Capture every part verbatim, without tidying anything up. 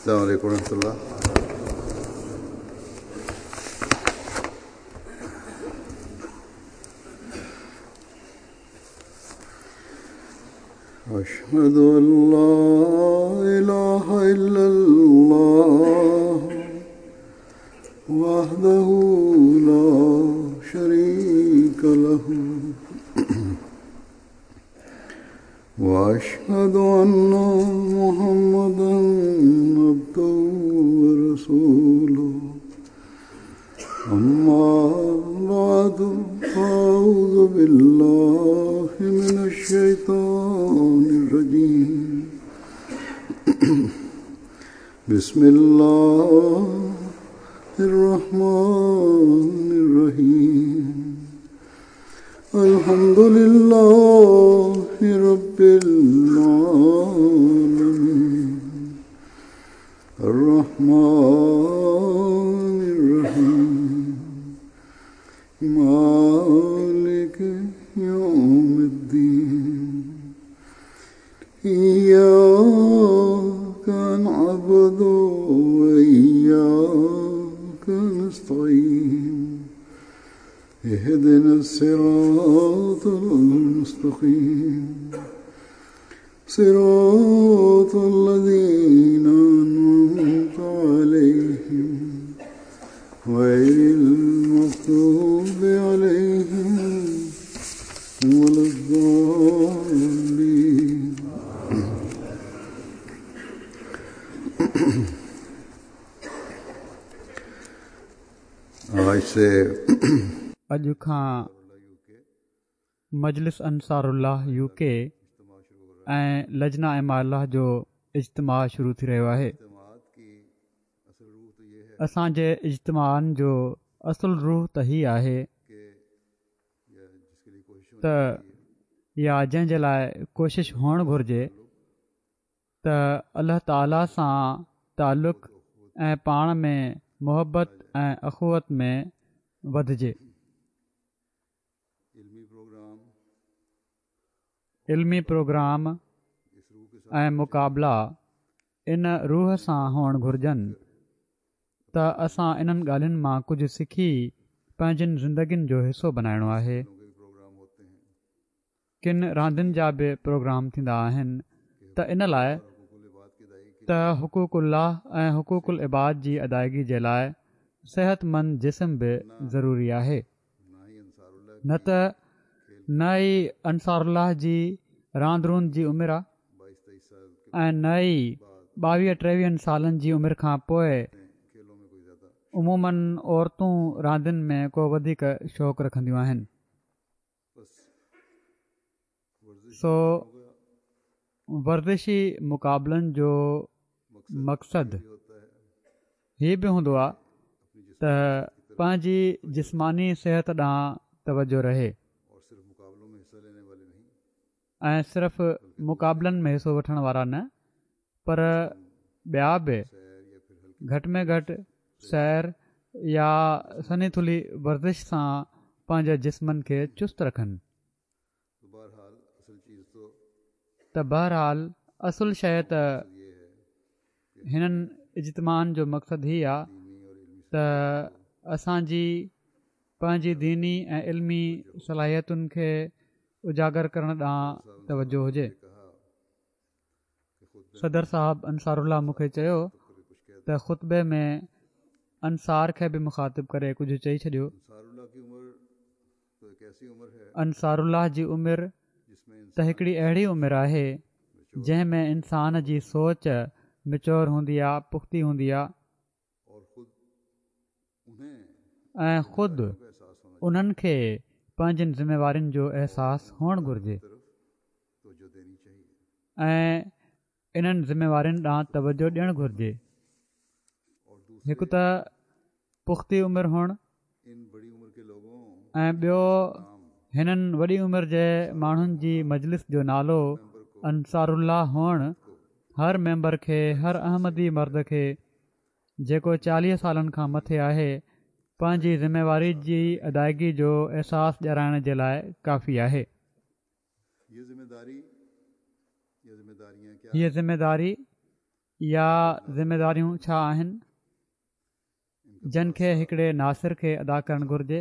السلام عليڪم ورحمة الله. أشهد أن لا إله إلا الله وحده لا شريك له وأشهد أن محمدا عبده ورسوله. أما بعد، فأعوذ بالله من الشيطان الرجيم. بسم الله الرحمن الرحيم. الحمد لله رب العالمين الرحمن الرحيم مالك يوم الدين. إياك نعبد وإياك نستعين. اهدنا الصراط المستقيم صراط الذين أنعمت عليهم غير المغضوب عليهم ولا الضالين. آج سے اڄ کان مجلس انصار الله يو ڪي ۽ لجنا اما الله جو اجتماع شروع ٿي رهيو آهي. اسان جي اجتماعن جو اصل روح ته هي آهي ته يا جنهن جي لاءِ ڪوشش هئڻ گهرجي ته الله تعاليٰ سان تعلق ۽ پاڻ ۾ محبت ۽ اخوت ۾ وڌجي. علمي پروگرام ۽ مقابلا ان روح سان هئڻ گهرجن ته اسان انهن ڳالهين مان ڪجهه سکي پنهنجين زندگين جو حصو بنائڻو آهي. ڪن راندين جا به پروگرام ٿيندا آهن ته ان لاءِ ته حقوق الله ۽ حقوق العباد جي ادائگي جي لاءِ صحتمند جسم به ضروري آهي. نه ته نه ئي انصار الله جي راند روند جي عمر آهي ۽ نه ئي ٻاويهه ٽيويهن سالن جي عمر کان پوءِ عموماً عورتون راندين ۾ ڪو وڌيڪ شوق رکنديون آهن. سو ورزشي مقابلن جو مقصد هي به هوندو آهي ته پنهنجي جسماني صحت ڏانهن توجه رهي ۽ صرف مقابلن ۾ حصو وٺڻ وارا نه پر ٻيا به گهٽ ۾ گهٽ سير يا سنهي ٿلهي ورزش سان پنهنجي جسمن کي چست رکن. ته بهرحال اصل شيءِ ته هنن اجتماعن جو مقصد هي آهي ته اسان جي پنهنجي ديني ۽ علمي صلاحيتن کي اجاگر ڪرڻ ڏانهن توجه هجي. صدر صاحب انصار الله مون کي چيو ته خطبي ۾ انصار کي به مخاطب ڪري ڪجهه چئي ڇڏيو. انصار الله جي عمر ته هڪڙي اهڙي عمر آهي جنهن ۾ انسان جي سوچ ميچور هوندي آهي، پختي هوندي آهي ۽ خود انهن کي پنهنجين ذميوارين جو احساس هئڻ گهرجي ۽ انهن ذميوارين ڏانهن توجه ڏيڻ گهرجي. هڪ ته پختي عمر هئڻ ۽ ٻيو هنن وڏي عمر جي ماڻهن جي مجلس جو نالو انصار الله هئڻ هر ميمبر کي، هر احمدي مرد کي جيڪو چاليهه سالن کان مٿي آهي، پنهنجي ذميواري جي ادائگي جو احساس ڏيارائڻ جي لاءِ ڪافي آهي. هيءَ ذميداري يا ذميداريون ڇا آهن جن کي هڪڙي ناصر کي ادا ڪرڻ گهرجي،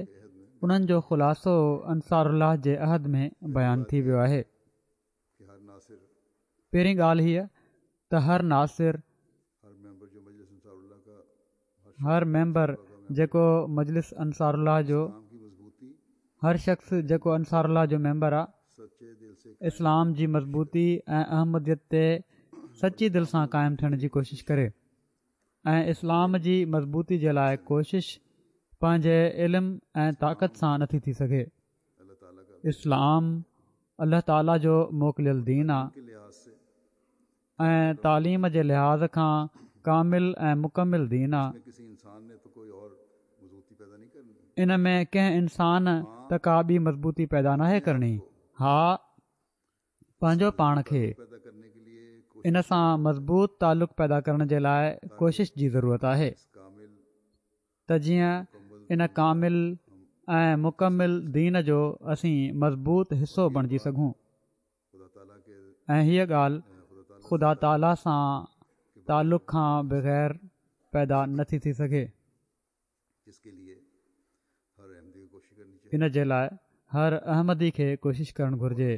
انهن جو خلاصو انصار الله جي عهد ۾ بيان ٿي ويو آهي. پهرين ڳالهه هيء ته هر ناصر، هر ميمبر جيڪو مجلس انصار الله جو، هر شخص جيڪو انصار الله جو ميمبر آ، اسلام جي مضبوطي ۽ احمديت تي سچي دل سان قائم ٿيڻ جي ڪوشش ڪري ۽ اسلام جي مضبوطي جي لاء ڪوشش پنهنجي علم ۽ طاقت سان نٿي ٿي سگهي. اسلام الله تعاليٰ جو موڪليل دين آ ۽ تعليم جي لحاظ کان ڪامل ۽ مڪمل دين آ. ان ۾ ڪنهن انسان ته ڪا ٻي مضبوطي پيدا ناهي ڪرڻي. ها، پنهنجو پاڻ کي ان سان مضبوط تعلق پيدا ڪرڻ جي لاء ڪوشش جي ضرورت آهي ته جيئن ان ڪامل ۽ مڪمل دين جو اسين مضبوط حصو بڻجي سگهون ۽ هيء ڳالهه خدا تعاليٰ سان تعلق کان بغير پيدا نٿي ٿي سگهي. ان جي لاء هر احمدي کي ڪوشش ڪرڻ گهرجي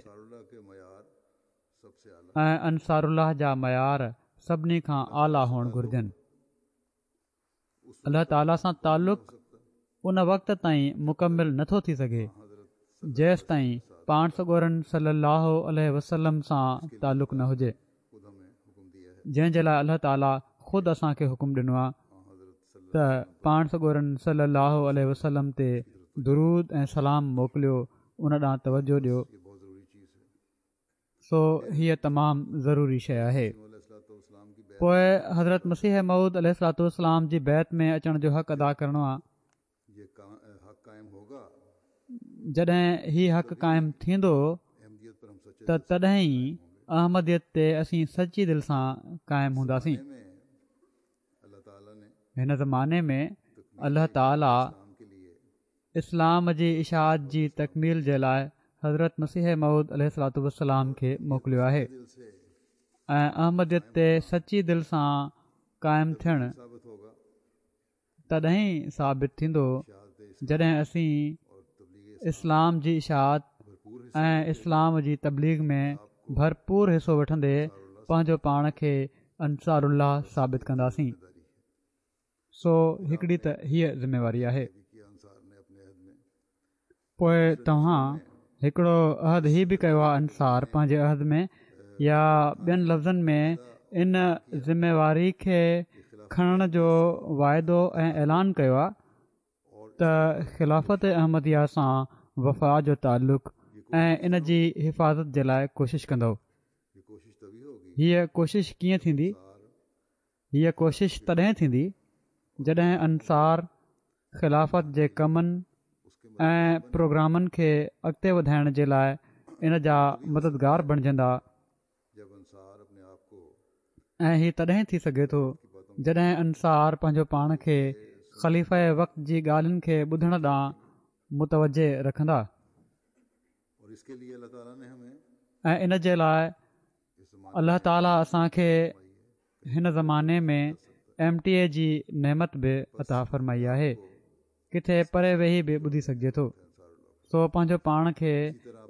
۽ انصار الله جا معيار سڀني کان اعليٰ هئڻ گهرجن. الله تعاليٰ سان تعلق ان وقت تائين مڪمل نٿو ٿي سگهي جيستائين پاڻ سڳورن صلي الله عليه وسلم سان تعلق نه هجي، جنهن جي لاء الله تعاليٰ خود اسان کي حڪم ڏنو آهي ته پاڻ سڳورن صلي الله عليه وسلم تي درود ۽ سلام موڪليو، ان ڏانهن توجه ڏيو. سو هيء تمام ضروري شيء آهي. پوء حضرت مسيح موعود عليه الصلوة والسلام جي بيعت ۾ اچڻ جو حق ادا ڪرڻو آهي. جڏهن هي حق قائم ٿيندو ته تڏهن ئي احمديت تي اسين سچي دل سان قائم هونداسين. هن زماني ۾ الله تعاليٰ اسلام جي اشاعت جي تڪميل جي لاء حضرت مسيح موعود عليه الصلوة والسلام کي موڪليو آهي ۽ احمديت تي سچي دل سان قائم ٿيڻ تڏهن ئي ثابت ٿيندو جڏهن اسين اسلام جي اشاعت ۽ اسلام جي تبليغ ۾ ڀرپور حصو وٺندي پنهنجو پاڻ کي انصار الله ثابت ڪنداسين. سو هڪڙي ته هيء ذميواري آهي. پوء توهان هڪڙو عهد هي به ڪيو آهي انصار پنهنجي عهد ۾ يا ٻين لفظن ۾ ان ذميواري کي کڻڻ جو واعدو ۽ اعلان ڪيو آهي ته خلافت احمديه سان وفا جو تعلق ۽ ان جي حفاظت جي لاء ڪوشش ڪندؤ. هيء ڪوشش ڪيئن ٿيندي؟ هيء ڪوشش تڏهن ٿيندي جڏهن انصار خلافت جي ڪمن ۽ پروگرامن کي اڳتي وڌائڻ جي لاء ان جا مددگار بڻجندا ۽ هي تڏهن ٿي سگهي ٿو جڏهن انصار پنهنجو پاڻ کي خليفه وقت جي ڳالهين کي ٻڌڻ ڏانهن متوجه رکندا ۽ ان جي لاء الله تعالي اسان کي هن زماني ۾ ايم ٽي اي جي نعمت به عطا فرمائي آهي. ڪٿي پري ويهي به ٻڌي سگهجي ٿو. سو پنهنجو پاڻ کي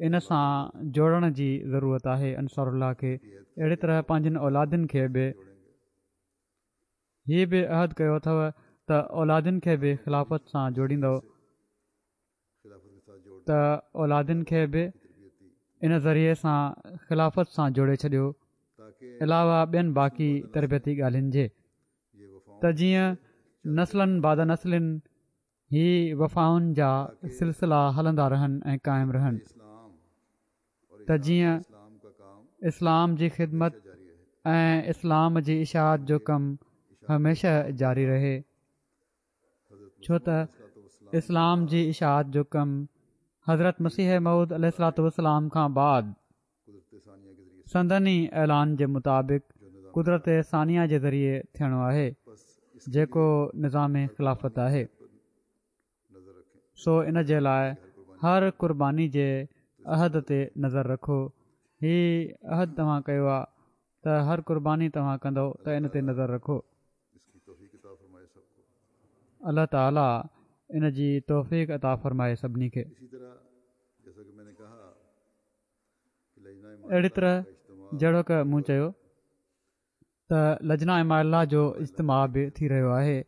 ان سان جوڙڻ جي ضرورت آهي انصار الله کي اهڙي طرح پنهنجين اولادين کي به هي به عهد ڪيو اٿو ته اولادين کي به خلافت سان جوڙيندؤ. ته اولادن کي به ان ذريعي سان خلافت سان جوڙي ڇڏيو علاوه ٻين باقي تربيتي ڳالهين جي ته جيئن نسلاً بعد نسل هي وفائن جا سلسلا هلندا رهن ۽ قائم رهن ته جيئن اسلام جي خدمت ۽ اسلام جي اشاعت جو ڪم هميشه جاري رهي. ڇو ته اسلام جي اشاعت جو ڪم حضرت مسيح موعود عليه الصلوة والسلام کان بعد سندن ئي اعلان جي مطابق قدرت ثانيه جي ذريعي ٿيڻو آهي جيڪو نظام خلافت آهي سو ان جي لاء هر قرباني جي عهد تي نظر رکو هي عهد توهان ڪيو آهي ته هر قرباني توهان ڪندؤ ته ان تي نظر رکو. الله تعاليٰ ان جي توفيق عطا فرمائي سڀني کي. اهڙي طرح جهڙوڪ مون چيو ته لجنه اماء الله جو اجتماع به ٿي رهيو آهي.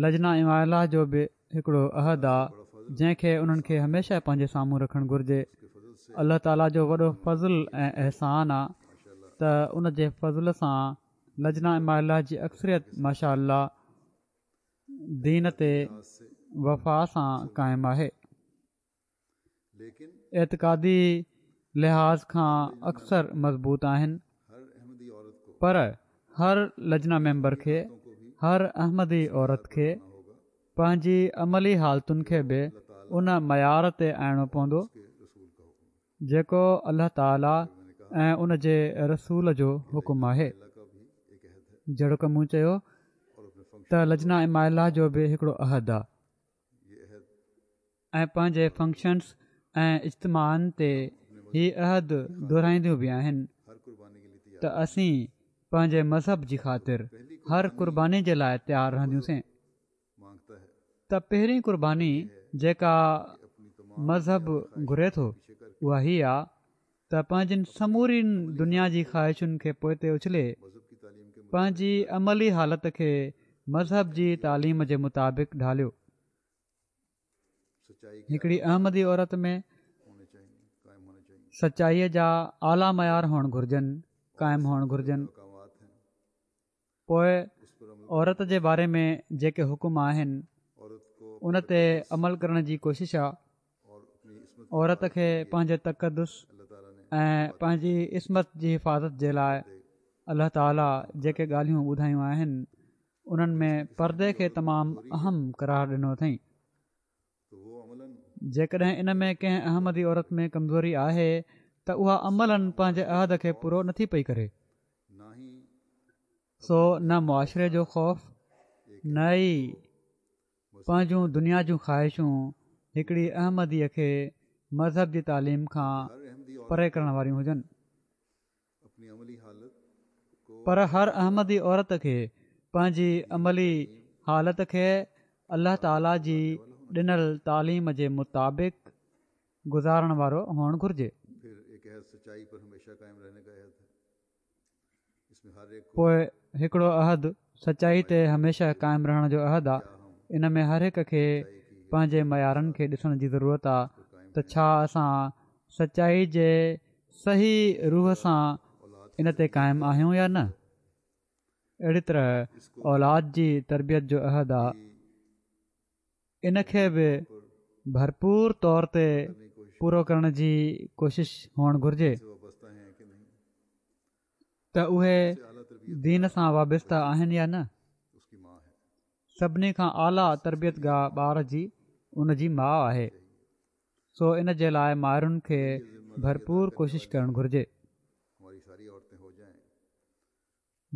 لجنه اماء الله جو به هڪڙو عهد آ جنهن کي انهن کي هميشه پنهنجي سامهون رکڻ گهرجي. الله تعاليٰ جو وڏو فضل ۽ احسان آ ته ان جي فضل سان لجنه اماء الله جي اڪثريت ماشاء الله دين تي وفا سان قائم آهي. اعتقادي لحاظ کان اڪثر مضبوط آهن، پر هر لجنه ميمبر کي، هر احمدي عورت کي پنهنجي عملي حالتن کي به ان معيار تي آڻڻو پوندو جيڪو الله تعاليٰ ۽ ان جي رسول جو حڪم آهي. جهڙوڪ مون چيو ته لجنه اماء الله جو به هڪڙو عهد آ ۽ پنهنجي فنڪشنز ۽ اجتماعن تي هي عهد دهرائينديون به آهن ته اسين پنهنجي مذهب جي خاطر هر قرباني جي لاء تيار رهنديونسين. ته پهرين قرباني جيڪا مذهب گهري ٿو اها هي آ ته پنهنجين سمورين دنيا جي خواهشن کي پوئتي اڇلي پنهنجي عملي حالت کي مذهب جي تعليم جي مطابق ڍاليو. هڪڙي احمدي عورت ۾ سچائيء جا اعليٰ معيار هئڻ گهرجن، قائم هئڻ گهرجن. پوء عورت جي باري ۾ جيڪي حڪم آهن ان تي عمل ڪرڻ جي ڪوشش آ. عورت کي پنهنجي تقدس ۽ پنهنجي عصمت جي حفاظت جي لاء الله تعاليٰ جيڪي ڳالهيون ٻڌايون آهن انهن ۾ پردي کي تمام اهم قرار ڏنو اٿئين. جيڪڏهن ان ۾ ڪنهن احمدي عورت ۾ ڪمزوري آهي ته اها عملاً پنهنجي عهد کي پورو نٿي پئي ڪري. سو نه معاشري جو خوف نه ئي پنهنجون دنيا جون خواهشون هڪڙي احمديء کي مذهب جي تعليم کان پري ڪرڻ واريون هجن، پر هر احمدي عورت کي پنهنجي عملي حالت کي الله تعاليٰ جي ڏنل تعليم جي مطابق گذارڻ وارو هئڻ گهرجي. پوء هڪڙو عهد سچائي تي هميشه قائم رهڻ جو عهد آ. ان ۾ هر هڪ کي پنهنجي معيارن کي ڏسڻ جي ضرورت آ ته ڇا اسان سچائي جي صحيح روح سان ان تي قائم آهيون يا نه. اهڙي طرح اولاد جي تربيت جو عهد آ، ان کي به ڀرپور طور تي پورو ڪرڻ جي ڪوشش هئڻ گهرجي ته اهي دين سان وابسته آهن يا نه. سڀني کان اعليٰ تربيت گاهه ٻار جي ان جي ماء آهي، سو ان جي لاء مائرن کي ڀرپور ڪوشش ڪرڻ گهرجي.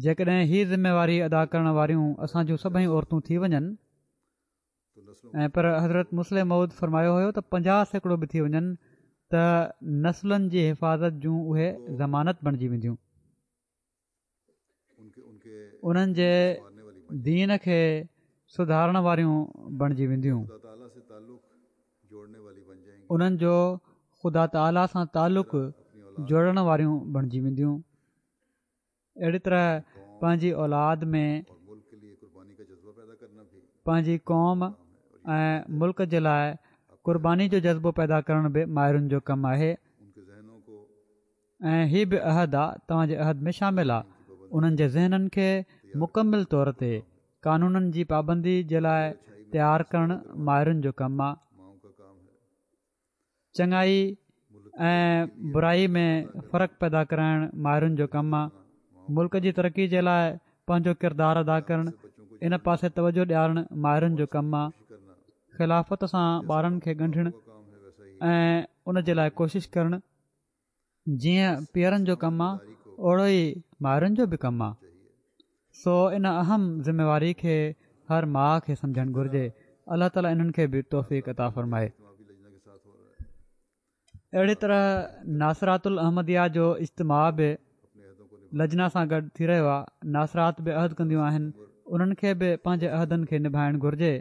جيڪڏهن هي ذميواري ادا ڪرڻ واريون اسان جون سڀئي عورتون ٿي وڃن ۽ پر حضرت مصلح موعود فرمايو هيو ته پنجاهه سيڪڙو به ٿي وڃن ته نسلن جي حفاظت جون اهي ضمانت بڻجي وينديون. انهن جي دين کي سڌارڻ واريون بڻجي وينديون. انهن جو خدا تعاليٰ سان تعلق جوڙڻ واريون بڻجي وينديون. اهڙي طرح پنهنجي اولاد ۾ پنهنجي قوم ۽ ملڪ جي لاء قرباني جو جذبو پيدا ڪرڻ به مائرن جو ڪم آهي ۽ هي به عهد آ، توهان جي عهد ۾ شامل آ. انهن جي ذهنن کي مڪمل طور تي قانونن جي پابندي جي لاء تيار ڪرڻ مائرن جو ڪم آ. چڱائي ۽ برائي ۾ فرق پيدا ڪرائڻ مائرن جو ڪم آ. ملڪ جي ترقي جي لاء پنهنجو ڪردار ادا ڪرڻ، ان پاسي توجه ڏيارڻ مائرن جو ڪم آ. خلافت سان ٻارن کي ڳنڍڻ ۽ ان جي لاء ڪوشش ڪرڻ جيئن پيئرن جو ڪم آ، اوڙو ئي مائرن جو به ڪم آ. سو ان اهم ذميواري کي هر ماء کي سمجهڻ گهرجي. الله تعالي انهن کي به توفيق عطا فرمائي. اهڙي طرح ناصرات الاحمديه جو اجتماع به لجنا سان گڏ ٿي رهيو آهي. ناصرات به عهد ڪنديون آهن، انهن کي به پنهنجي عهدن کي نڀائڻ گهرجي.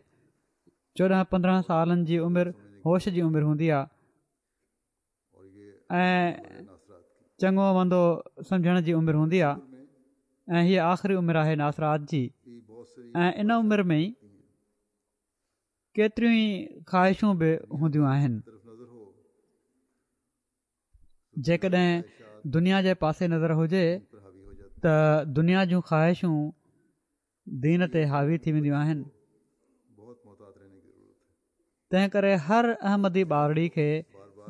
چوڏهن پندرهن سالن جي عمر هوش جي عمر هوندي آهي ۽ چڱو مندو سمجهڻ جي عمر هوندي آهي ۽ هيء آخري عمر آهي ناصرات جي ۽ ان عمر ۾ ئي ڪيتريون ئي خواهشون به هونديون آهن. جيڪڏهن دنيا جي پاسي نظر هجي ته دنيا جون خواهشون دين تي حاوي ٿي وينديون آهن. تنهن ڪري هر احمدي ٻارڙي کي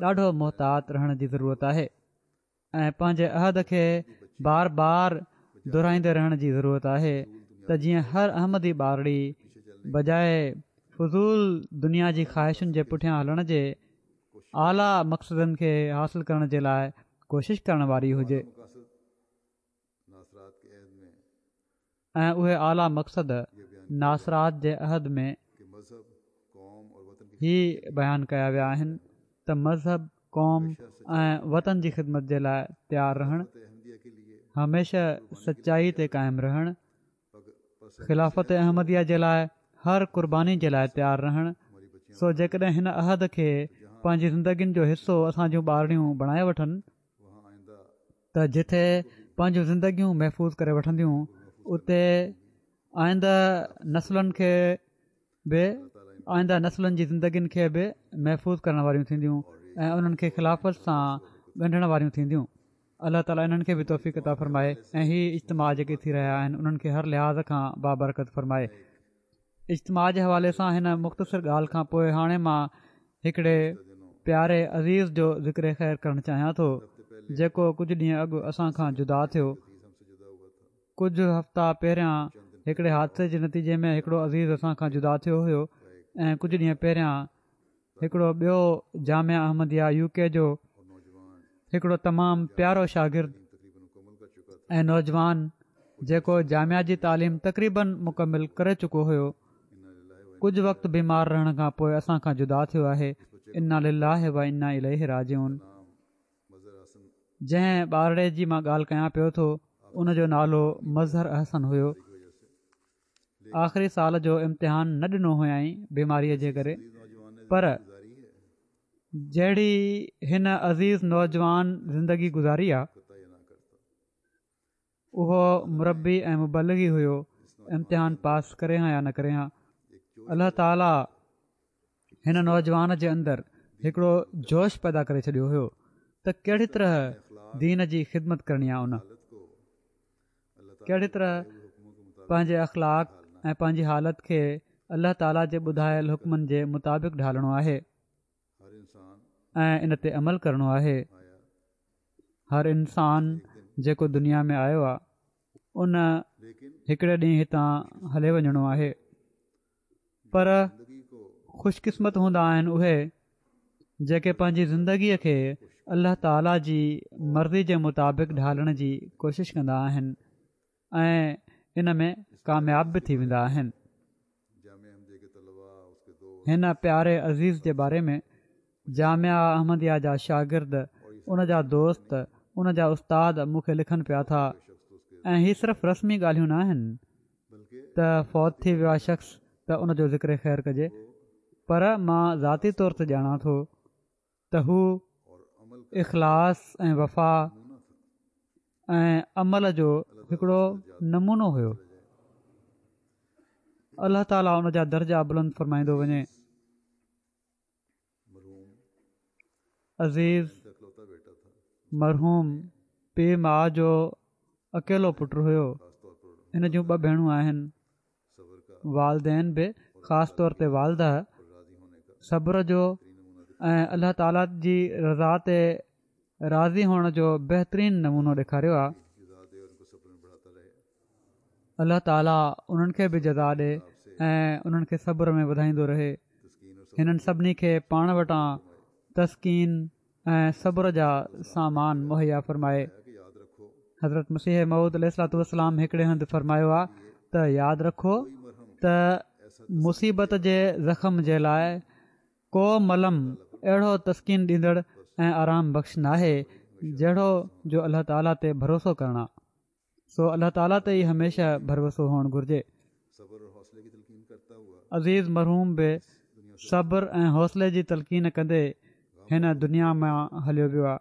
ڏاڍو محتاط رهڻ جي ضرورت آهي ۽ پنهنجي عهد کي بار بار دهرائيندي رهڻ جي ضرورت آهي ته جيئن هر احمدي ٻارڙي بجاء فضول دنيا جي خواهشن جي پٺيان هلڻ جي اعليٰ مقصدن کي حاصل ڪرڻ جي لاء ڪوشش ڪرڻ واري هجي ۽ اهي اعليٰ مقصد ناصرات جي عهد ۾ هي بيان ڪيا ويا آهن ته مذهب، قوم ۽ وطن جي خدمت جي لاء تيار رهڻ، هميشه سچائي تي قائم رهڻ، خلافت احمديه جي لاء هر قرباني جي لاء تيار رهڻ، سو جيڪڏهن هن عهد کي پنهنجي زندگين جو حصو اسان جون ٻارڙيون بڻائي وٺن ته جتي پنهنجون زندگيون محفوظ ڪري وٺنديون اتي آئنده نسلن کي به آئنده نسلن جي زندگين کي به محفوظ ڪرڻ واريون ٿينديون ۽ انهن کي خلافت سان ڳنڍڻ واريون ٿينديون. الله تعالي انهن کي به توفيق عطا فرمائي ۽ هي اجتماع جيڪي ٿي رهيا آهن انهن کي هر لحاظ کان بابرڪت فرمائي. اجتماع جي حوالي سان هن مختصر ڳالهه کان پوء هاڻي مان هڪڙي پياري عزيز جو ذڪر خير ڪرڻ چاهيان ٿو جيڪو ڪجهه ڏينهن اڳ اسان کان جدا ٿيو. ڪجهه هفتا پهريان هڪڙي حادثي جي نتيجي ۾ هڪڙو عزيز اسان کان جدا ٿيو هيو ۽ ڪجهه ڏينهن پهريان هڪڙو ٻيو جامعه احمديه يو ڪي جو هڪڙو تمام پيارو شاگرد ۽ نوجوان جيڪو جامعه جي تعليم تقريبن مڪمل ڪري چڪو هيو ڪجهه وقت بيمار رهڻ کان پوء اسان کان جدا ٿيو آهي انا لله و انا اليه راجعون جنهن ٻارڙي جي مان ڳالهه ڪيان پيو ٿو ان جو نالو مظهر احسن هيو آخري سال جو امتحان نه ڏنو هيائين بيماريء جي ڪري پر جهڙي هن عزيز نوجوان زندگي گذاري آ اهو مربي ۽ مبلغ ئي هيو امتحان پاس ڪري ها يا نه ڪري ها الله تعالي هن نوجوان جي اندر هڪڙو جوش پيدا ڪري ڇڏيو هيو ته ڪهڙي طرح دين جي خدمت ڪرڻي آ ان ڪهڙي طرح پنهنجي اخلاق ۽ پنهنجي حالت کي الله تعالي جي ٻڌايل حڪمن جي مطابق ڍالڻو آهي ۽ ان تي عمل ڪرڻو آهي هر انسان جيڪو دنيا ۾ آيو آهي ان هڪڙي ڏينهن هتان هلي وڃڻو آهي پر خوش قسمت هوندا آهن اهي جيڪي پنهنجي زندگيء کي الله تعاليٰ جي مرضي جي مطابق ڍالڻ جي ڪوشش ڪندا آهن ۽ ان ۾ ڪامياب به ٿي ويندا آهن هن پياري عزيز جي باري ۾ جامعه احمديه جا شاگرد ان جا دوست ان جا استاد مون کي لکن پيا ٿا ۽ هي صرف رسمي ڳالهيون نه آهن ته فوت ٿي ويو آهي شخص ته ان جو ذڪر خير ڪجي پر مان ذاتي طور تي ڄاڻان ٿو ته هو اخلاص ۽ وفا ۽ عمل جو هڪڙو نمونو هيو الله تعاليٰ ان جا درجا بلند فرمائيندو وڃي عزيز مرحوم پيء ماء جو اڪيلو پٽ هيو هن جون ٻه ڀيڻون آهن والدين به خاص طور تي والده صبر جو ۽ الله تعالي جي رضا تي راضي هئڻ جو بهترين نمونو ڏيکاريو آهي الله تعالي انهن کي به جزا ڏي ۽ انهن کي صبر ۾ وڌائيندو رهي هنن سڀني کي پاڻ وٽان تسڪين ۽ صبر جا سامان مهيا فرمائي حضرت مسيح موعود عليه الصلوة والسلام هڪڙي هنڌ فرمايو آ ته ياد رکو ته مصيبت جي زخم جي لاء ڪو ملم اهڙو تسڪين ڏيندڙ ۽ آرام بخش ناهي جهڙو جو الله تعاليٰ تي ڀروسو ڪرڻ آ. سو الله تعاليٰ تي ئي هميشه ڀروسو هئڻ گهرجي. عزيز مرحوم به صبر ۽ حوصلي جي تلقين ڪندي هن دنيا مان هليو ويو آ.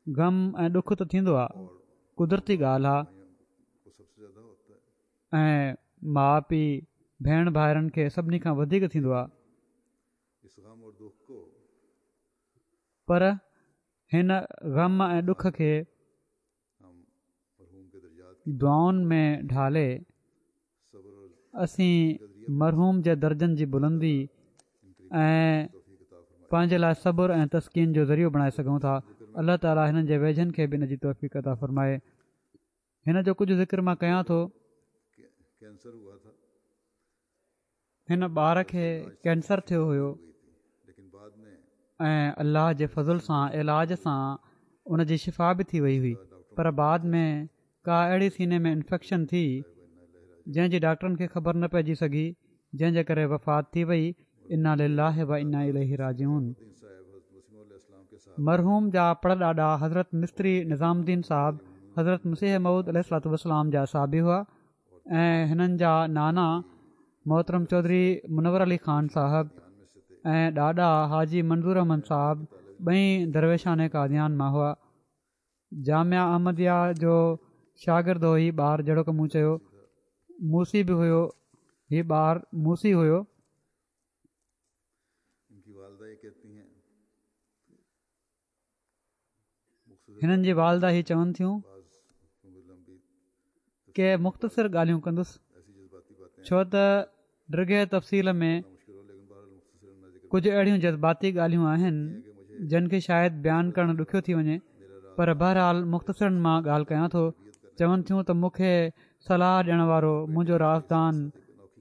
غم ۽ ڏک ته ٿيندو آ، قدرتي ڳالهه آ ۽ ماء پيء، ڀيڻ ڀائرن کي سڀني کان وڌيڪ ٿيندو آ. پر هن غم ۽ ڏک کي دعائن ۾ ڍالي اسين مرحوم جي درجن جي بلندي ۽ پنهنجي لاء صبر ۽ تسڪين جو ذريعو بڻائي سگهون ٿا. الله تعالي هنن جي ويجهن کي به ان جي توفيق عطا فرمائي. هن جو ڪجهه ذڪر مان ڪيان ٿو. هن ٻار کي ڪينسر ٿيو هيو ۽ الله جي فضل سان علاج سان ان جي شفا به ٿي وئي هئي پر بعد ۾ ڪا اهڙي سيني ۾ انفيڪشن ٿي جنهن جي ڊاڪٽرن کي خبر نه پئجي سگهي جنهن جي ڪري وفات ٿي وئي. انا لله و انا اليه راجعون. مرحوم جا پڙ ڏاڏا حضرت مستري نظام الدين صاحب حضرت مسيح موعود عليه الصلوة والسلام جا صحابي هئا ۽ هنن جا نانا محترم چوڌري منور علي خان صاحب ۽ ڏاڏا حاجي منظور احمد صاحب ٻئي درويشان قاديان مان هئا. جامعه احمديه جو شاگرد هو هي ٻار جهڙوڪ مون چيو موسي به هيو هي ٻار موسي هيو. هنن جي والده هي چون ٿيون ڪي مختصر ڳالهيون ڪندس ڇو ته ڊگهي تفصيل ۾ ڪجهه اهڙيون جذباتي ڳالهيون آهن جن کي شايد بيان ڪرڻ ڏکيو ٿي وڃي پر بهرحال مختصرن مان ڳالهه ڪيان ٿو. چون ٿيون ته مون کي صلاح ڏيڻ وارو منهنجو رازدان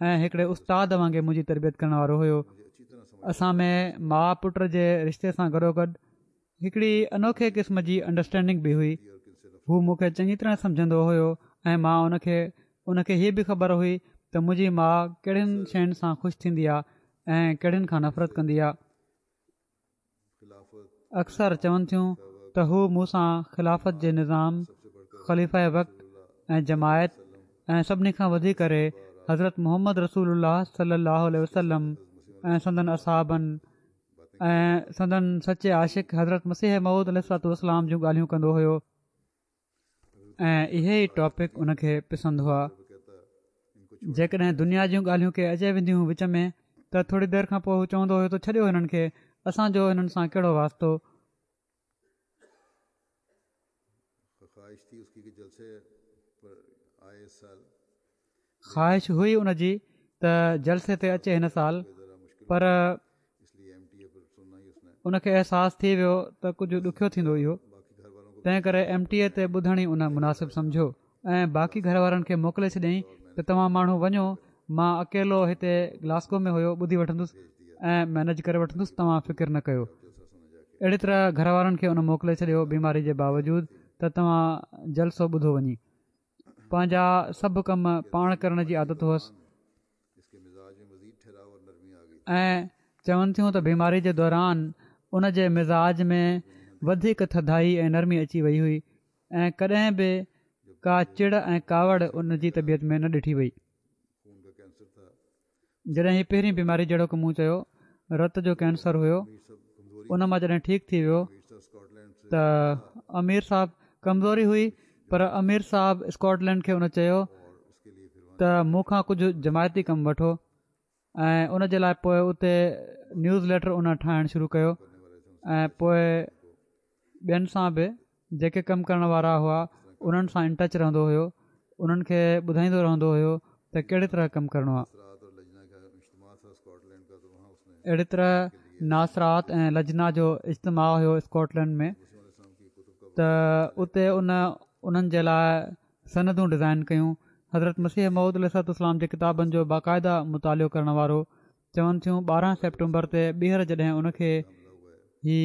۽ هڪڙي استاد وانگي منهنجي تربيت ڪرڻ وارو هيو. اسان ۾ ماء پٽ جي رشتي سان گڏوگڏ هڪڙي انوکي قسم جي انڊرسٽينڊنگ به هئي. هو مون کي چڱي طرح سمجهندو هيو ۽ مان ان کي. ان کي هيء به خبر هئي ته منهنجي ماء ڪهڙين شين سان خوش ٿيندي آ ۽ ڪهڙين کان نفرت ڪندي آ. اڪثر چون ٿيون ته هو مون سان خلافت جي نظام، خليفه وقت ۽ جماعت ۽ سڀني کان وڌي ڪري حضرت محمد رسول الله صلي الله عليه وسلم ۽ سندن اصحابن ۽ سندن سچي عاشق حضرت مسيح موعود عليه الصلوة والسلام جون ڳالهيون ڪندو هيو ۽ اهي ئي ٽاپڪ ان کي پسند هئا. جيڪڏهن دنيا جون ڳالهيون ڪي اچي وينديون هيون وچ ۾ ته ٿوري دير کان پوء هو چوندو هيو ته ڇڏيو هنن کي اسان جو هنن سان ڪهڙو واسطو. خواهش هئي ان جي ته جلسي تي اچي هن سال پر ان کي احساس ٿي ويو ته ڪجهه ڏکيو ٿيندو اهو تنهن ڪري ايم ٽي اي تي ٻڌڻ ئي ان مناسب سمجهيو ۽ باقي گهر وارن کي موڪلي ڇڏيائين ته توهان ماڻهو وڃو مان اڪيلو هتي گلاسگو ۾ هيو ٻڌي وٺندس ۽ مئنيج ڪري وٺندس توهان فڪر نه ڪيو. اهڙي طرح گهر وارن کي ان موڪلي ڇڏيو بيماري جي باوجود ته توهان جلسو ٻڌو وڃي. پنهنجا سڀ ڪم پاڻ ڪرڻ جي عادت هئس ۽ چون ٿيون ته بيماري جي دوران ان جي مزاج ۾ وڌيڪ ٿڌائي ۽ نرمي اچي وئي هئي ۽ ڪڏهن به ڪا چڙ ۽ ڪاوڙ ان جي طبيعت ۾ نه ڏٺي وئي. جڏهن هي پهرين بيماري جهڙوڪ مون چيو رت جو ڪينسر هيو ان مان جڏهن ٺيڪ ٿي ويو ته امير صاحب ڪمزوري هئي پر امير صاحب اسڪاٽلينڊ کي ان چيو ته مون کان ڪجهه جماعتي ڪم وٺو ۽ ان جي لاء پوء اتي نيوز ليٽر ان ٺاهڻ شروع ڪيو ۽ پوء ٻين سان به جيڪي ڪم ڪرڻ وارا هئا انهن سان ان ٽچ رهندو هيو انهن کي ٻڌائيندو رهندو هيو ته ڪهڙي طرح ڪم ڪرڻو آهي. اهڙي طرح ناصرات ۽ لجنا جو اجتماع هيو اسڪاٽلينڊ ۾ ته اتي ان انهن جي لاء سندون ڊزائن ڪيون. حضرت مسيح موعود عليه الصلوة والسلام جي ڪتابن جو باقاعده مطالعو ڪرڻ وارو چون ٿيون ٻارهن سيپٽمبر تي ٻيهر جڏهن ان کي هي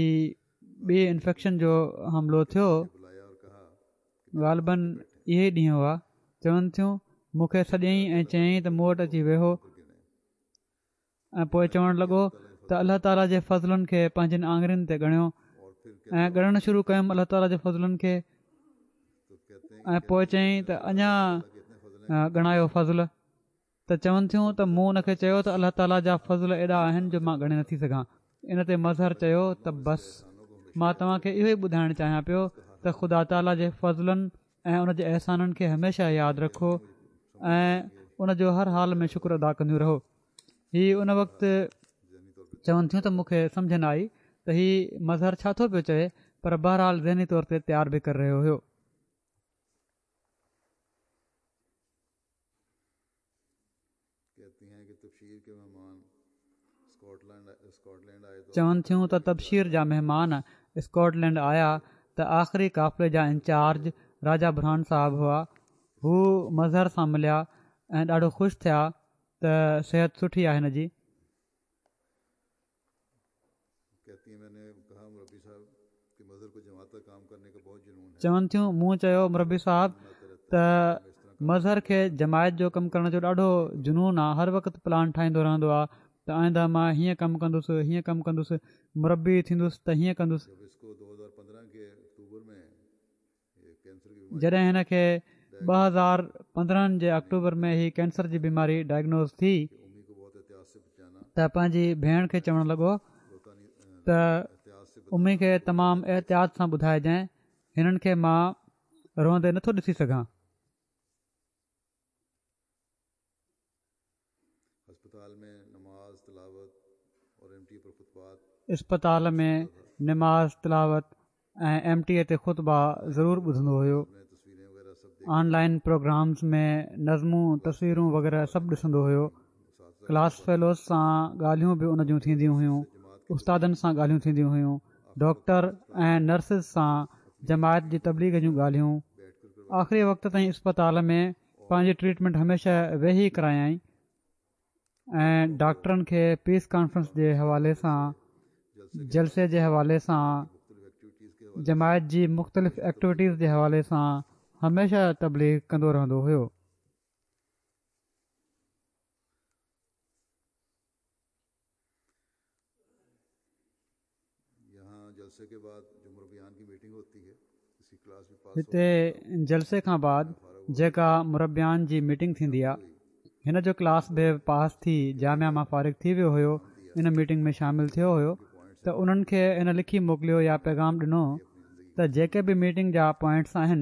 ٻي انفيڪشن جو حملو ٿيو غالباً اهي ئي ڏينهن هئا چون ٿيون مون کي سڏيائين ۽ چيائين ته مون وٽ اچي ويهو ۽ پوء چوڻ لڳو ته الله تعاليٰ جي فضلن کي پنهنجين آڱرين تي ڳڻيو ۽ ڳڻڻ شروع ڪيم الله تعاليٰ جي فضلن کي ۽ پوءِ چيائين ته اڃا ڳڻايو فضل. ته چون ٿيون ته مون ان کي چيو ته الله تعاليٰ جا فضل ايڏا آهن جو مان ڳڻي نٿي سگهان. ان تي مظهر چيو ته بس مان توهان کي اهو ئي ٻڌائڻ چاهيان پيو ته خدا تعاليٰ جي فضلن ۽ ان جي احسانن کي هميشه ياد رکو ۽ ان جو هر حال ۾ شڪر ادا ڪنديون رهو. هي ان وقت چون ٿيون ته مون کي سمجهه نه آئي ته هي مظهر ڇا ٿو پيو چوي، پر بهرحال ذهني طور تي تيار به ڪري رهيو هيو. چون ٿيون ته تبشير جا مهمان اسڪاٽلينڊ آيا ته آخري قافلي جا انچارج راجا برهان صاحب هئا. هو مظهر سان مليا ۽ ڏاڍو خوش ٿيا ته صحت سٺي آهي هن جي. چون ٿيون مون چيو مربي صاحب ته مظهر کي جماعت جو ڪم ڪرڻ جو ڏاڍو جنون آهي، هر وقت پلان ٺاهيندو رهندو آهي ته آئنده مان هيئن ڪم ڪندس هيئن ڪم ڪندس، مربي ٿيندس ته هيئن ڪندس. جڏهن هن کي ٻه هزار پندرهن جي آڪٽوبر ۾ هي ڪينسر جي بيماري ڊائگنوز ٿي ته پنهنجي ڀيڻ کي چوڻ لڳو ته امي کي تمام احتياط سان ٻڌائجانءِ، هنن کي مان روئندي نٿو ڏسي سگهان. اسپتال ۾ نماز تلاوت ۽ ايم ٽي اي تي خطبا ضرور ٻڌندو هيو. آن لائن پروگرامز ۾ نظمون تصويرون وغيره سڀ ڏسندو هيو. ڪلاس فيلوز سان ڳالهيون به ان جون ٿينديون هيون، استادن سان ڳالهيون ٿينديون هيون، ڊاڪٽر ۽ نرسز سان جماعت جي تبليغ جون ڳالهيون. آخري وقت تائين اسپتال ۾ پنهنجي ٽريٽمينٽ هميشه ويهي ڪرايائين ۽ ڊاڪٽرن کي پيس ڪانفرنس جي حوالي سان، جلسي جي حوالي سان، جماعت جي مختلف ايڪٽيوٽيز جي حوالي سان هميشه تبليغ ڪندو رهندو هيو. هتي جلسي کان بعد جيڪا مربيان جي ميٽنگ ٿيندي آهي، هن جو ڪلاس به پاس ٿي جامعه مان فارغ ٿي ويو هيو، ان ميٽنگ ۾ شامل ٿيو هيو ته انهن کي هن لکي موڪليو يا پيغام ڏنو ته جيڪي به ميٽنگ جا پوائنٽس آهن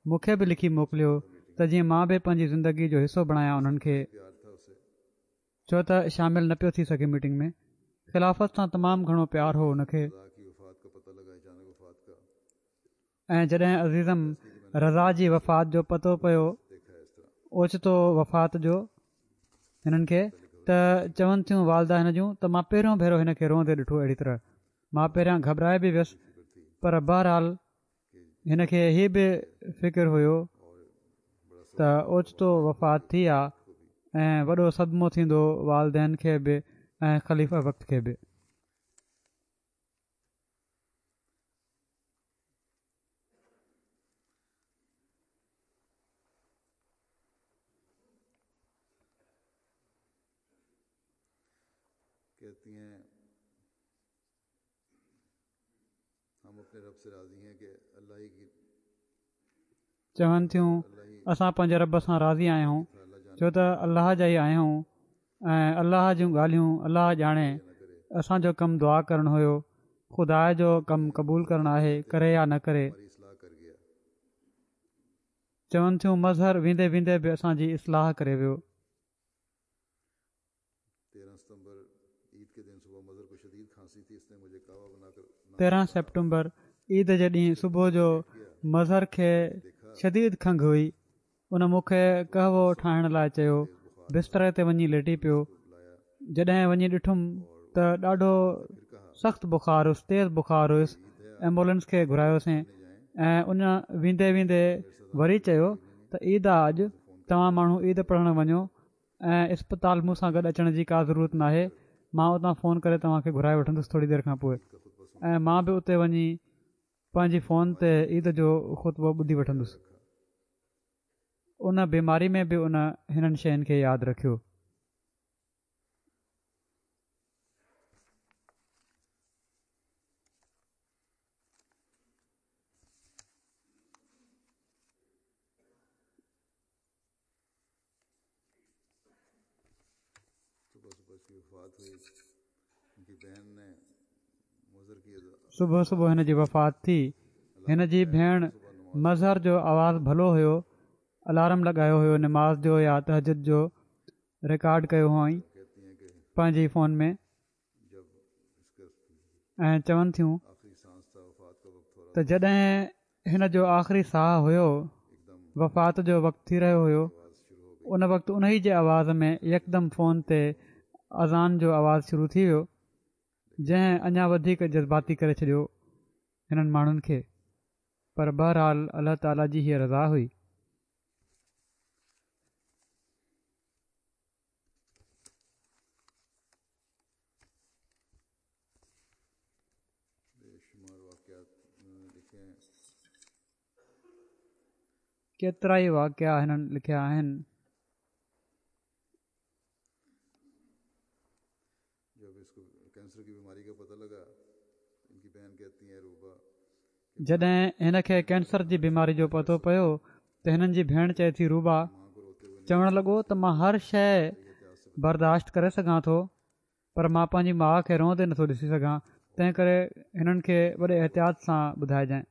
مون کي به لکي موڪليو ته جيئن مان به پنهنجي زندگي جو حصو بڻايان انهن کي، ڇو ته شامل نه پيو ٿي سگهي ميٽنگ ۾. خلافت سان تمام گهڻو پيار هو ان کي. ۽ جڏهن عزيزم رضا جي وفات جو پتو پيو، اوچتو وفات جو هنن کي، ته چون ٿيون والده هن جون ته مان پهريون ڀيرو هن کي روئندي ڏٺو اهڙي طرح. مان پهريان گهٻرائي به ويس، پر بهرحال هن کي هي به فڪر هيو ته اوچتو وفات ٿي آ ۽ وڏو صدمو ٿيندو والدين کي به ۽ خليفه وقت کي به. چون ٿيون اسان پنهنجي رب سان راضي آهيون، ڇو ته الله جا ئي آهيون ۽ الله جون ڳالهيون الله ڄاڻي. اسان جو ڪم دعا ڪرڻ هيو، خدا جو ڪم قبول ڪرڻ آهي، ڪري يا نه ڪري. چون ٿيون مظهر ويندي ويندي به اسان جي اصلاح ڪري ويو. تيرهن سيپٽمبر عيد جي ڏينهن صبح جو مظهر کي شديد کنگهه هئي. ان مون کي قهوو ٺاهڻ لاءِ چيو. بستري تي وڃي ليٽي پيو. جڏهن وڃي ڏٺم ته ڏاڍو سخت بخار هيس، تيز بخار هيس. ايمبولينس کي گهرايوسين ۽ ان ويندي ويندي وري چيو ته عيد آ اڄ، توهان ماڻهو عيد پڙهڻ وڃو ۽ اسپتال مون سان گڏ اچڻ جي ڪا ضرورت ناهي، مان اتان فون ڪري توهان کي گهرائي وٺندس ٿوري دير کان پوءِ ۽ مان به اتي وڃي پنهنجي فون تي عيد جو خطبو ٻڌي وٺندس. ان بيماري ۾ به ان هنن شين کي ياد رکيو. صبح صبح هن جي وفات ٿي. هن جي ڀيڻ مظهر جو آواز ڀلو هيو، الارم لڳايو هيو نماز جو يا تهجد جو، رڪارڊ ڪيو هئائين پنهنجي فون ۾، ۽ چون ٿيون ته جڏهن هن جو آخري ساهه هيو، وفات جو وقت ٿي رهيو هيو، ان وقت انهي جي آواز ۾ يڪدم فون تي اذان جو آواز شروع ٿي ويو، جنهن اڃا وڌيڪ جذباتي ڪري ڇڏيو هنن ماڻهن کي. پر بهرحال الله تعاليٰ جي هيء رضا هئي. ڪيترائي واقعا هنن لکيا آهن. جڏهن هن کي ڪينسر جي بيماري جو پتو پيو ته هنن جي ڀيڻ چئي ٿي روبا چوڻ لڳو ته مان هر شيء برداشت ڪري سگهان ٿو، پر مان پنهنجي ماء کي روئندي نٿو ڏسي سگهان، تنهن ڪري هنن کي وڏي احتياط سان ٻڌائجانء.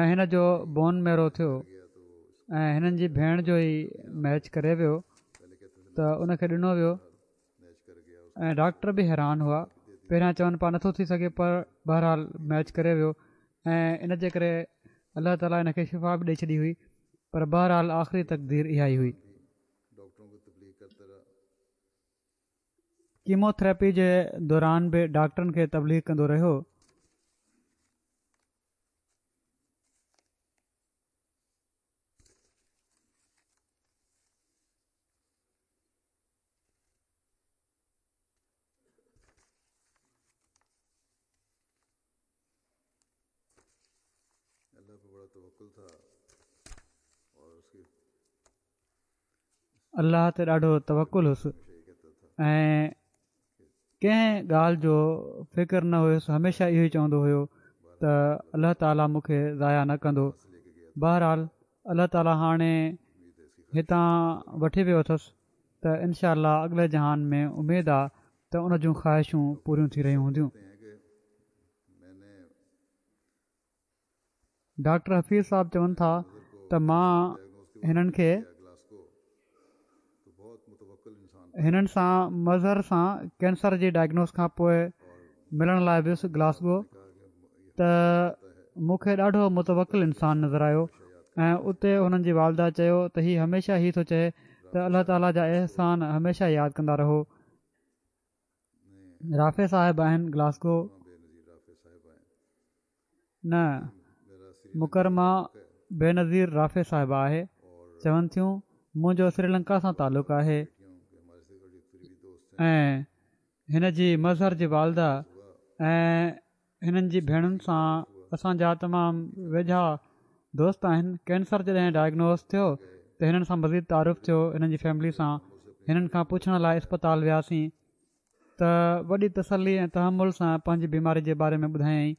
۽ هن جو بون ميرو ٿيو ۽ هنن جي ڀيڻ جو ئي ميچ ڪري ويو ته ان کي ڏنو ويو ۽ ڊاڪٽر به حيران هئا. پهريان چون پيا نٿو ٿي سگهي، پر بهرحال ميچ ڪري ويو ۽ ان جي ڪري الله تعاليٰ هن کي شفا به ڏئي ڇڏي هئي، پر بهرحال آخري تقدير اها ئي هئي. ڪيموٿراپي جي دوران به ڊاڪٽرن کي تبليغ ڪندو رهيو. الله تي ڏاڍو توڪل هوس ۽ ڪنهن ڳالهه جو فڪر نه هيس، هميشه اهو ئي چوندو هيو ته الله تعاليٰ مون کي ضايع نه ڪندو. بهرحال الله تعاليٰ هاڻي هتان وٺي ويو اٿس ته انشاء الله اڳلي جهان ۾ اميد آ ته ان جون خواهشون پوريون ٿي رهيون هونديون. ڊاڪٽر حفيظ صاحب چون ٿا ته مان هنن کي هنن سان مظهر سان ڪينسر جي ڊائگنوز کان پوء ملڻ لاءِ ويس گلاسگو ته مون کي ڏاڍو متوڪل انسان نظر آيو ۽ اتي هنن جي والده چيو ته هي هميشه هي ٿو چئي ته الله تعاليٰ جا احسان هميشه ياد ڪندا رهو. رافع صاحب آهن گلاسگو نه مڪرمه بينظير رافع صاحبه آهي. چون ٿيون منهنجو سريلنڪا سان تعلق آهي ۽ هن جي مظهر جي والده ۽ هنن جي ڀيڻن سان اسان جا تمام ويجها دوست آهن. ڪينسر جڏهن ڊائگنوز ٿيو ته هنن سان مزيد تعارف ٿيو. هنن جي فيملي سان هنن کان پڇڻ لاءِ اسپتال وياسين ته وڏي تسلي ۽ تحمل سان پنهنجي بيماري جي باري ۾ ٻڌايائين.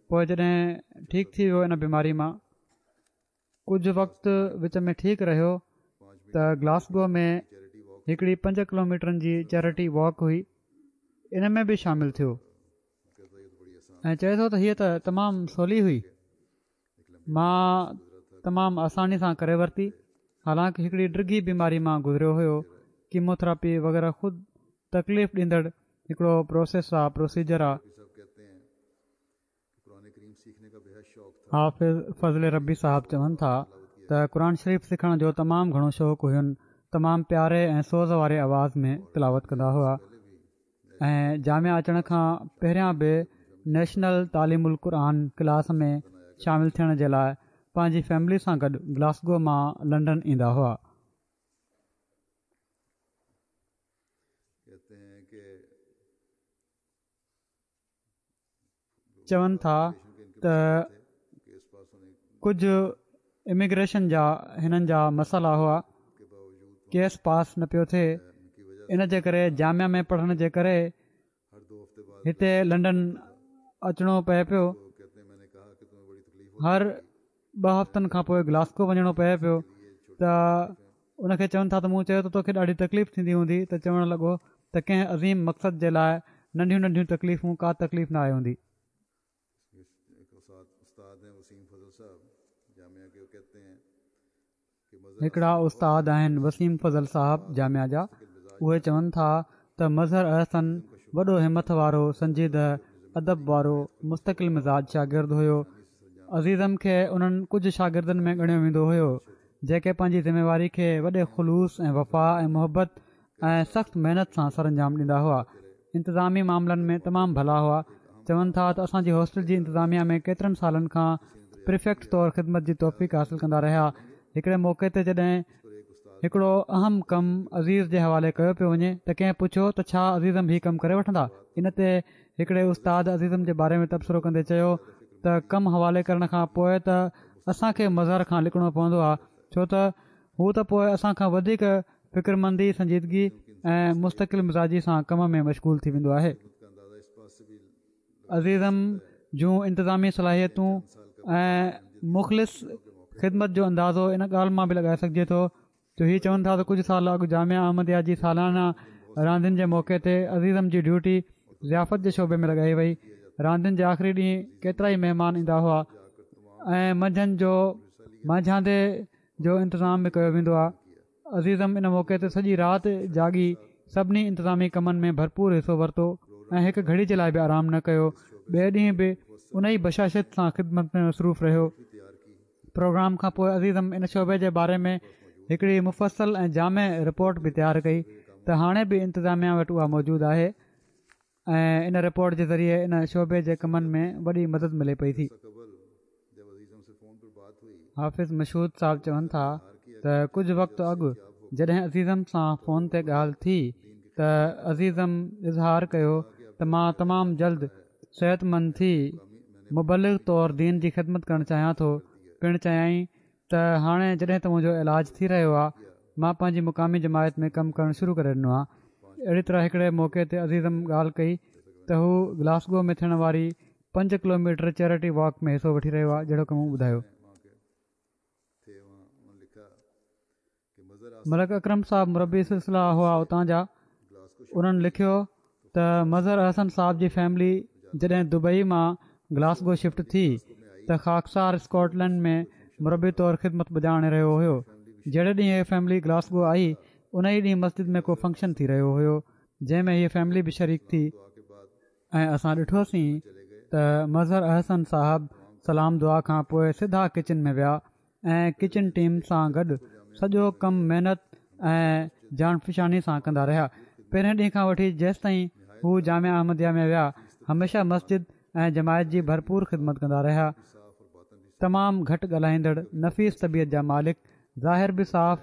پوءِ جڏهن ٺيڪ ٿي ويو ان بيماري مان ڪجهه وقت وچ ۾ ٺيڪ رهيو ته گلاسگو ۾ هڪڙي پنج ڪلوميٽرن جي چيرٽي واڪ هئي، ان ۾ به شامل ٿيو ۽ چئي ٿو ته هيءَ ته تمام سولي هئي، مان تمام آساني سان ڪري ورتي. حالانڪه هڪڙي ڊگهي بيماري مان گذريو هيو. ڪيموٿراپي وغيره خود تڪليف ڏيندڙ هڪڙو پروسيس آ، پروسيجر آ. حافظ فضل ربي صاحب چون ٿا ته قرآن شريف سکڻ جو تمام گهڻو شوق هين، تمام پياري ۽ سوز واري آواز ۾ تلاوت ڪندا هئا ۽ جامعه اچڻ کان پهريان به نيشنل تعليم القرآن ڪلاس ۾ شامل ٿيڻ جي لاءِ پنهنجي فيملي سان گڏ گلاسگو مان لنڊن ايندا هئا. چون ٿا ته ڪجهه اميگريشن جا هنن جا مسئلا هئا، ڪيس پاس نه پيو ٿئي، ان جي ڪري جامعه ۾ پڙهڻ جي ڪري هتي لنڊن اچڻو پئي پيو. هر ٻه هفتن کان پوءِ گلاسگو وڃڻو پئي پيو ته ان کي چون ٿا ته مون چيو ته توکي ڏاڍي تڪليف ٿيندي هوندي ته چوڻ لڳو ته ڪنهن عظيم مقصد جي لاء ننڍيون ننڍيون تڪليفون ڪا تڪليف نه آهي هوندي. هڪڙا استاد آهن وسيم فضل صاحب جامعه جا، اهي چون ٿا ته مظهر احسن وڏو همٿ وارو، سنجيده، ادب وارو، مستقل مزاج شاگرد هيو. عزيزم کي انهن ڪجهه شاگردن ۾ ڳڻيو ويندو هيو جيڪي پنهنجي ذميواري کي وڏي خلوص ۽ وفا ۽ محبت ۽ سخت محنت سان سرانجام ڏيندا هئا. انتظامي معاملن ۾ تمام ڀلا هئا. چون ٿا ته اسان جي هاسٽل جي انتظاميه ۾ ڪيترن سالن کان پريفيڪٽ طور خدمت جي توفيق حاصل ڪندا رهيا. هڪڙي موقعي تي جڏهن هڪڙو اهم ڪم عزيز جي حوالي ڪيو پيو وڃي ته ڪنهن پڇيو ته ڇا عزيزم هي ڪم ڪري وٺندا؟ ان تي هڪڙي استاد عزيزم جي باري ۾ تبصرو ڪندي چيو ته ڪم حوالي ڪرڻ کان پوء ته اسان کي مظهر کان لڪڻو پوندو آهي، ڇو ته هو ته پوء اسان کان وڌيڪ فڪرمندي، سنجيدگي ۽ مستقل مزاجي سان ڪم ۾ مشغول ٿي ويندو آهي. عزيزم جون انتظامي صلاحيتون ۽ مخلص خدمت جو اندازو ان ڳالهه مان به لڳائي سگهجي ٿو جو هي چون ٿا ته ڪجهه سال اڳ جامعه احمديه جي سالانه راندين جي موقعي تي عزيزم جي ڊيوٽي ضيافت جي شعبي ۾ لڳائي وئي. راندين جي آخري ڏينهن ڪيترائي مهمان ايندا هئا ۽ منجهند جو مانجهاندي جو انتظام به ڪيو ويندو آهي. عزيزم ان موقعي تي سڄي رات جاڳي سڀني انتظامي ڪمن ۾ ڀرپور حصو ورتو ۽ هڪ گهڙي جي لاء به آرام نه ڪيو. ٻئي ڏينهن به ان ئي بشاشت سان خدمت ۾ مصروف رهيو. پروگرام کان پوء عزيزم ان شعبي جي باري ۾ هڪڙي مفصل ۽ جامع رپورٽ به تيار ڪئي ته هاڻي به انتظاميا وٽ اها موجود آهي ۽ ان رپورٽ جي ذريعي ان شعبي جي ڪمن ۾ وڏي مدد ملي پئي ٿي. حافظ مشهود صاحب چون ٿا ته ڪجهه وقت اڳ جڏهن عزيزم سان فون تي ڳالهه ٿي ته عزيزم اظهار ڪيو ته مان تمام جلد صحتمند ٿي مبلغ طور دين جي خدمت ڪرڻ چاهيان ٿو. پڻ چيائين ته هاڻي جڏهن ته منهنجو علاج ٿي رهيو آهي مان پنهنجي مقامي جماعت ۾ ڪم ڪرڻ شروع ڪري ڏنو آهي. اهڙي طرح هڪڙي موقعي تي عزيزم ڳالهه ڪئي ته هو گلاسگو ۾ ٿيڻ واري پنج ڪلوميٽر چيرٽي واڪ ۾ حصو وٺي رهيو آهي جهڙوڪ مون ٻڌايو. ملڪ اڪرم صاحب مربي سلسله هئا اتان جا، انهن لکيو ته مظهر احسن صاحب جي فيملي جڏهن دبئي مان گلاسگو شفٽ ٿي ته خاڪسار اسڪاٽلينڊ ۾ مربي طور خدمت بجا آڻي رهيو هيو. جهڙي ڏينهن هي فيملي گلاسگو آئي ان ئي ڏينهن مسجد ۾ ڪو فنڪشن ٿي رهيو هيو جنهن ۾ هيء فيملي به شريڪ ٿي ۽ اسان ڏٺوسين ته مظهر احسن صاحب سلام دعا کان پوء سڌا ڪچن ۾ ويا ۽ ڪچن ٽيم سان گڏ سڄو ڪم محنت ۽ جانفشاني سان ڪندا رهيا. پهرين ڏينهن کان وٺي جيستائين هو جامعه احمديه ۾ ويا هميشه مسجد ۽ جماعت جي ڀرپور خدمت ڪندا رهيا. تمام گهٽ ڳالهائيندڙ، نفيس طبيعت جا مالڪ، ظاهر به صاف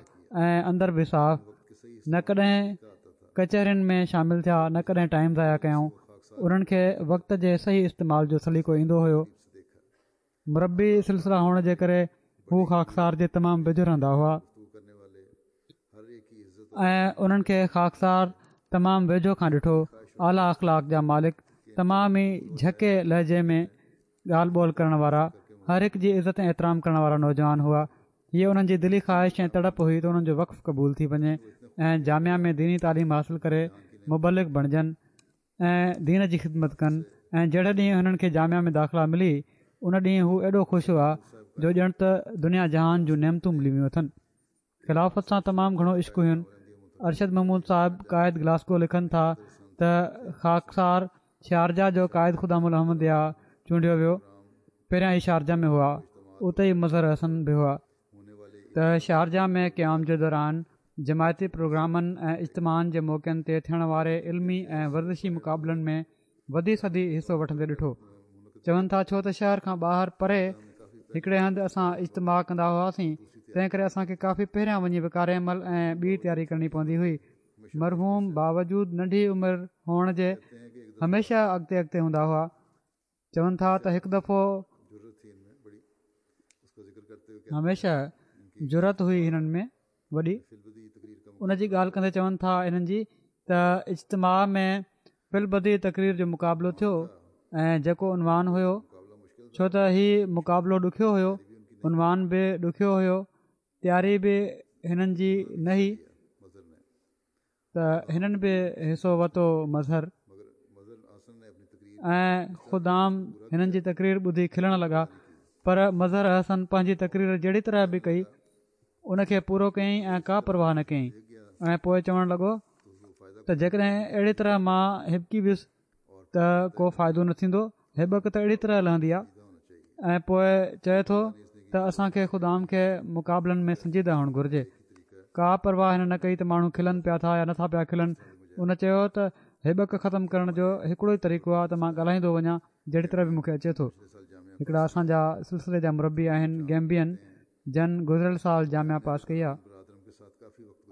۽ اندر به صاف، نه ڪڏهن ڪچهرين ۾ شامل ٿيا نه ڪڏهن ٽائيم ضايع ڪيائون. انهن کي وقت جي صحيح استعمال جو سليقو ايندو هيو. مربي سلسله هئڻ جي ڪري هو خاڪسار جي تمام ويجهو رهندا هئا ۽ انهن کي خاڪسار تمام ويجهو کان ڏٺو. اعليٰ اخلاق جا مالڪ، تمام ئي جهڪي لهجي ۾ ڳالهه ٻولهه ڪرڻ وارا، هر هڪ جي عزت ۽ احترام ڪرڻ وارا نوجوان هئا. هيء انهن جي دلي خواهش ۽ تڙپ هئي ته انهن جو وقف قبول ٿي وڃي ۽ جامعه ۾ ديني تعليم حاصل ڪري مبلغ بڻجن. ۽ دين جي خدمت ڪن ۽ جهڙي ڏينهن هنن کي جامعه ۾ داخلا ملي ان ڏينهن هو ايڏو خوش هئا جو ڄڻ ته دنيا جهان جون نعمتون ملي ويون اٿن. خلافت سان تمام گهڻو عشق هين. ارشد محمود صاحب قائد گلاسگو لکن ٿا ته خاڪسار شارجه جو قائد خدام الاحمديه چونڊيو ويو. پهريان هي شارجه ۾ هئا اتي ئي مظهر احسن به هئا. ته شارجه ۾ قيام جي دوران جماعتي پروگرامن ۽ اجتماعن جي موقعن تي ٿيڻ واري علمي ۽ ورزشي مقابلن ۾ وڌي چڙهي حصو وٺندي ڏٺو. چون ٿا ڇو ته شهر کان ٻاهر پري هڪڙي هنڌ اسان اجتماع ڪندا هئاسين تنهن ڪري اسان کي ڪافي پهريان وڃي وقار عمل ۽ ٻي تياري ڪرڻي پوندي هئي. مرحوم باوجود ننڍي عمر هئڻ جي هميشه اڳتي اڳتي هوندا هئا. چون ٿا ته هڪ دفعو هميشه جرئت هئي هنن ۾ وڏي ان جي ڳالهه ڪندي چون ٿا انهن جي ته اجتماع ۾ في البديهه تقرير جو مقابلو ٿيو ۽ جيڪو عنوان هيو ڇو ته هي مقابلو ڏکيو هيو عنوان به ڏکيو هيو تياري به هنن جي نه هئي ته هنن به حصو ورتو مظهر ۽ خدام هنن جي تقرير ٻڌي کلڻ لڳا، پر مظهر احسن پنهنجي تقرير جهڙي طرح به ڪئي ان کي پورو ڪيائين ۽ ڪا پرواهه نه ڪيائين ۽ پوء چوڻ لڳو ته جيڪڏهن اهڙي طرح مان هٻڪي ويس ته ڪو فائدو نه ٿيندو، هٻڪ ته اهڙي طرح لهندي آهي. ۽ پوء چئي ٿو ته اسان کي خدام کي مقابلن ۾ سنجيده هئڻ گهرجي. ڪا پرواهه هن نه ڪئي ته ماڻهو کلن پيا ٿا يا نٿا پيا کلن. ان چيو ته هٻڪ ختم ڪرڻ جو هڪڙو ئي طريقو آهي ته مان ڳالهائيندو وڃان جهڙي طرح به مون کي اچي ٿو. هڪڙا اسان جا سلسلي جا مربي آهن گيمبين جن گذريل سال جامعه پاس ڪئي آهي.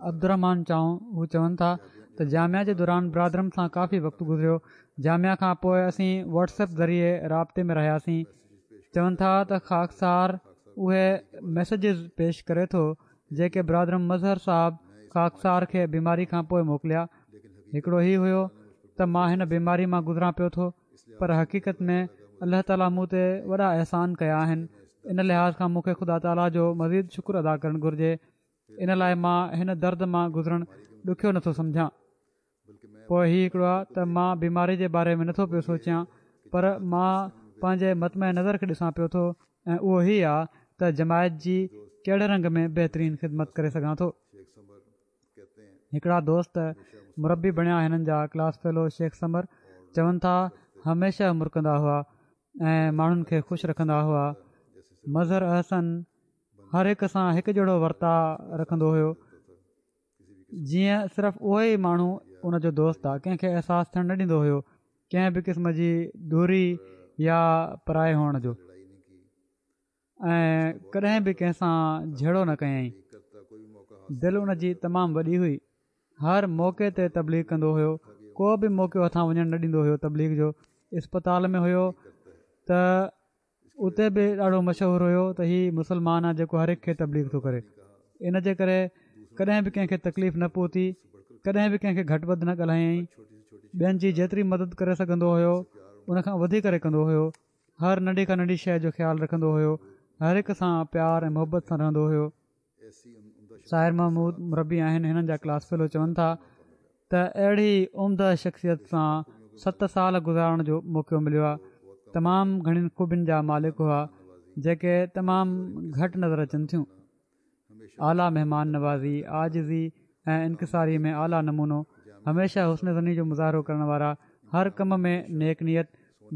عبدالرحمان چانگ هو چون ٿا ته جامعه جي دوران برادرم سان ڪافي وقت گذريو. جامعه کان پوء اسين واٽس ايپ ذريعي رابطي ۾ رهياسين. چون ٿا ته خاڪسار اهي ميسيجز پيش ڪري ٿو جيڪي برادرم مظهر صاحب خاڪسار کي بيماري کان پوء موڪليا. هڪڙو هي هيو ته مان هن بيماري مان گذران پيو ٿو پر حقيقت ۾ الله تعاليٰ مون تي وڏا احسان ڪيا آهن، ان لحاظ کان مون کي خدا تعاليٰ جو مزيد شڪر ادا ڪرڻ گهرجي. ان لاء مان هن درد مان گذرڻ ڏکيو نٿو سمجهان. پوء هي هڪڙو آهي ته مان بيماري جي باري ۾ نٿو پيو سوچيان پر مان پنهنجي مطمع نظر کي ڏسان پيو ٿو ۽ اهو هي آهي ته جماعت جي ڪهڙي رنگ ۾ بهترين خدمت ڪري سگهان ٿو. هڪڙا دوست مربي بڻيا هنن جا ڪلاس فيلو شيخ ثمر چون ٿا هميشه مرڪندا هئا ۽ ماڻهن کي خوش رکندا هئا. مظهر احسن هر هڪ سان هڪ جهڙو ورتاء رکندو هيو جيئن صرف اهو ئي ماڻهو ان جو دوست آ، ڪنهن کي احساس ٿيڻ نه ڏيندو هيو ڪنهن به قسم جي دوري يا پرائي هئڻ جو ۽ ڪڏهن به ڪنهن سان جهيڙو نه ڪيائين. دل ان جي تمام وڏي هئي، هر موقعي تي تبليغ ڪندو هيو، ڪو به موقعو هٿان وڃڻ نه ڏيندو هيو تبليغ جو. اسپتال ۾ هيو ته اتي به ڏاڍو مشهور هيو ته هي مسلمان آ جيڪو هر هڪ کي تبليغ ٿو ڪري. ان جي ڪري ڪڏهن به ڪنهن کي تڪليف نه پهتي، ڪڏهن به ڪنهن کي گهٽ وڌ نه ڳالهايائين. ٻين جي جيتري مدد ڪري سگهندو هيو ان کان وڌي ڪري ڪندو هيو. هر ننڍي کان ننڍي شيء جو خيال رکندو هيو. هر هڪ سان پيار ۽ محبت سان رهندو هيو. ساحر محمود مربي آهن هنن جا ڪلاس فيلو چون ٿا ته اهڙي عمده شخصيت سان ست سال گذارڻ جو موقعو مليو آهي. تمام گهڻين خوبين جا مالڪ هئا جيڪي تمام گهٽ نظر اچن ٿيون. اعليٰ مهمان نوازي، عاجزي ۽ انڪساري ۾ اعليٰ نمونو، هميشه حسن ظني جو مظاهرو ڪرڻ وارا، هر ڪم ۾ نيڪ نيت،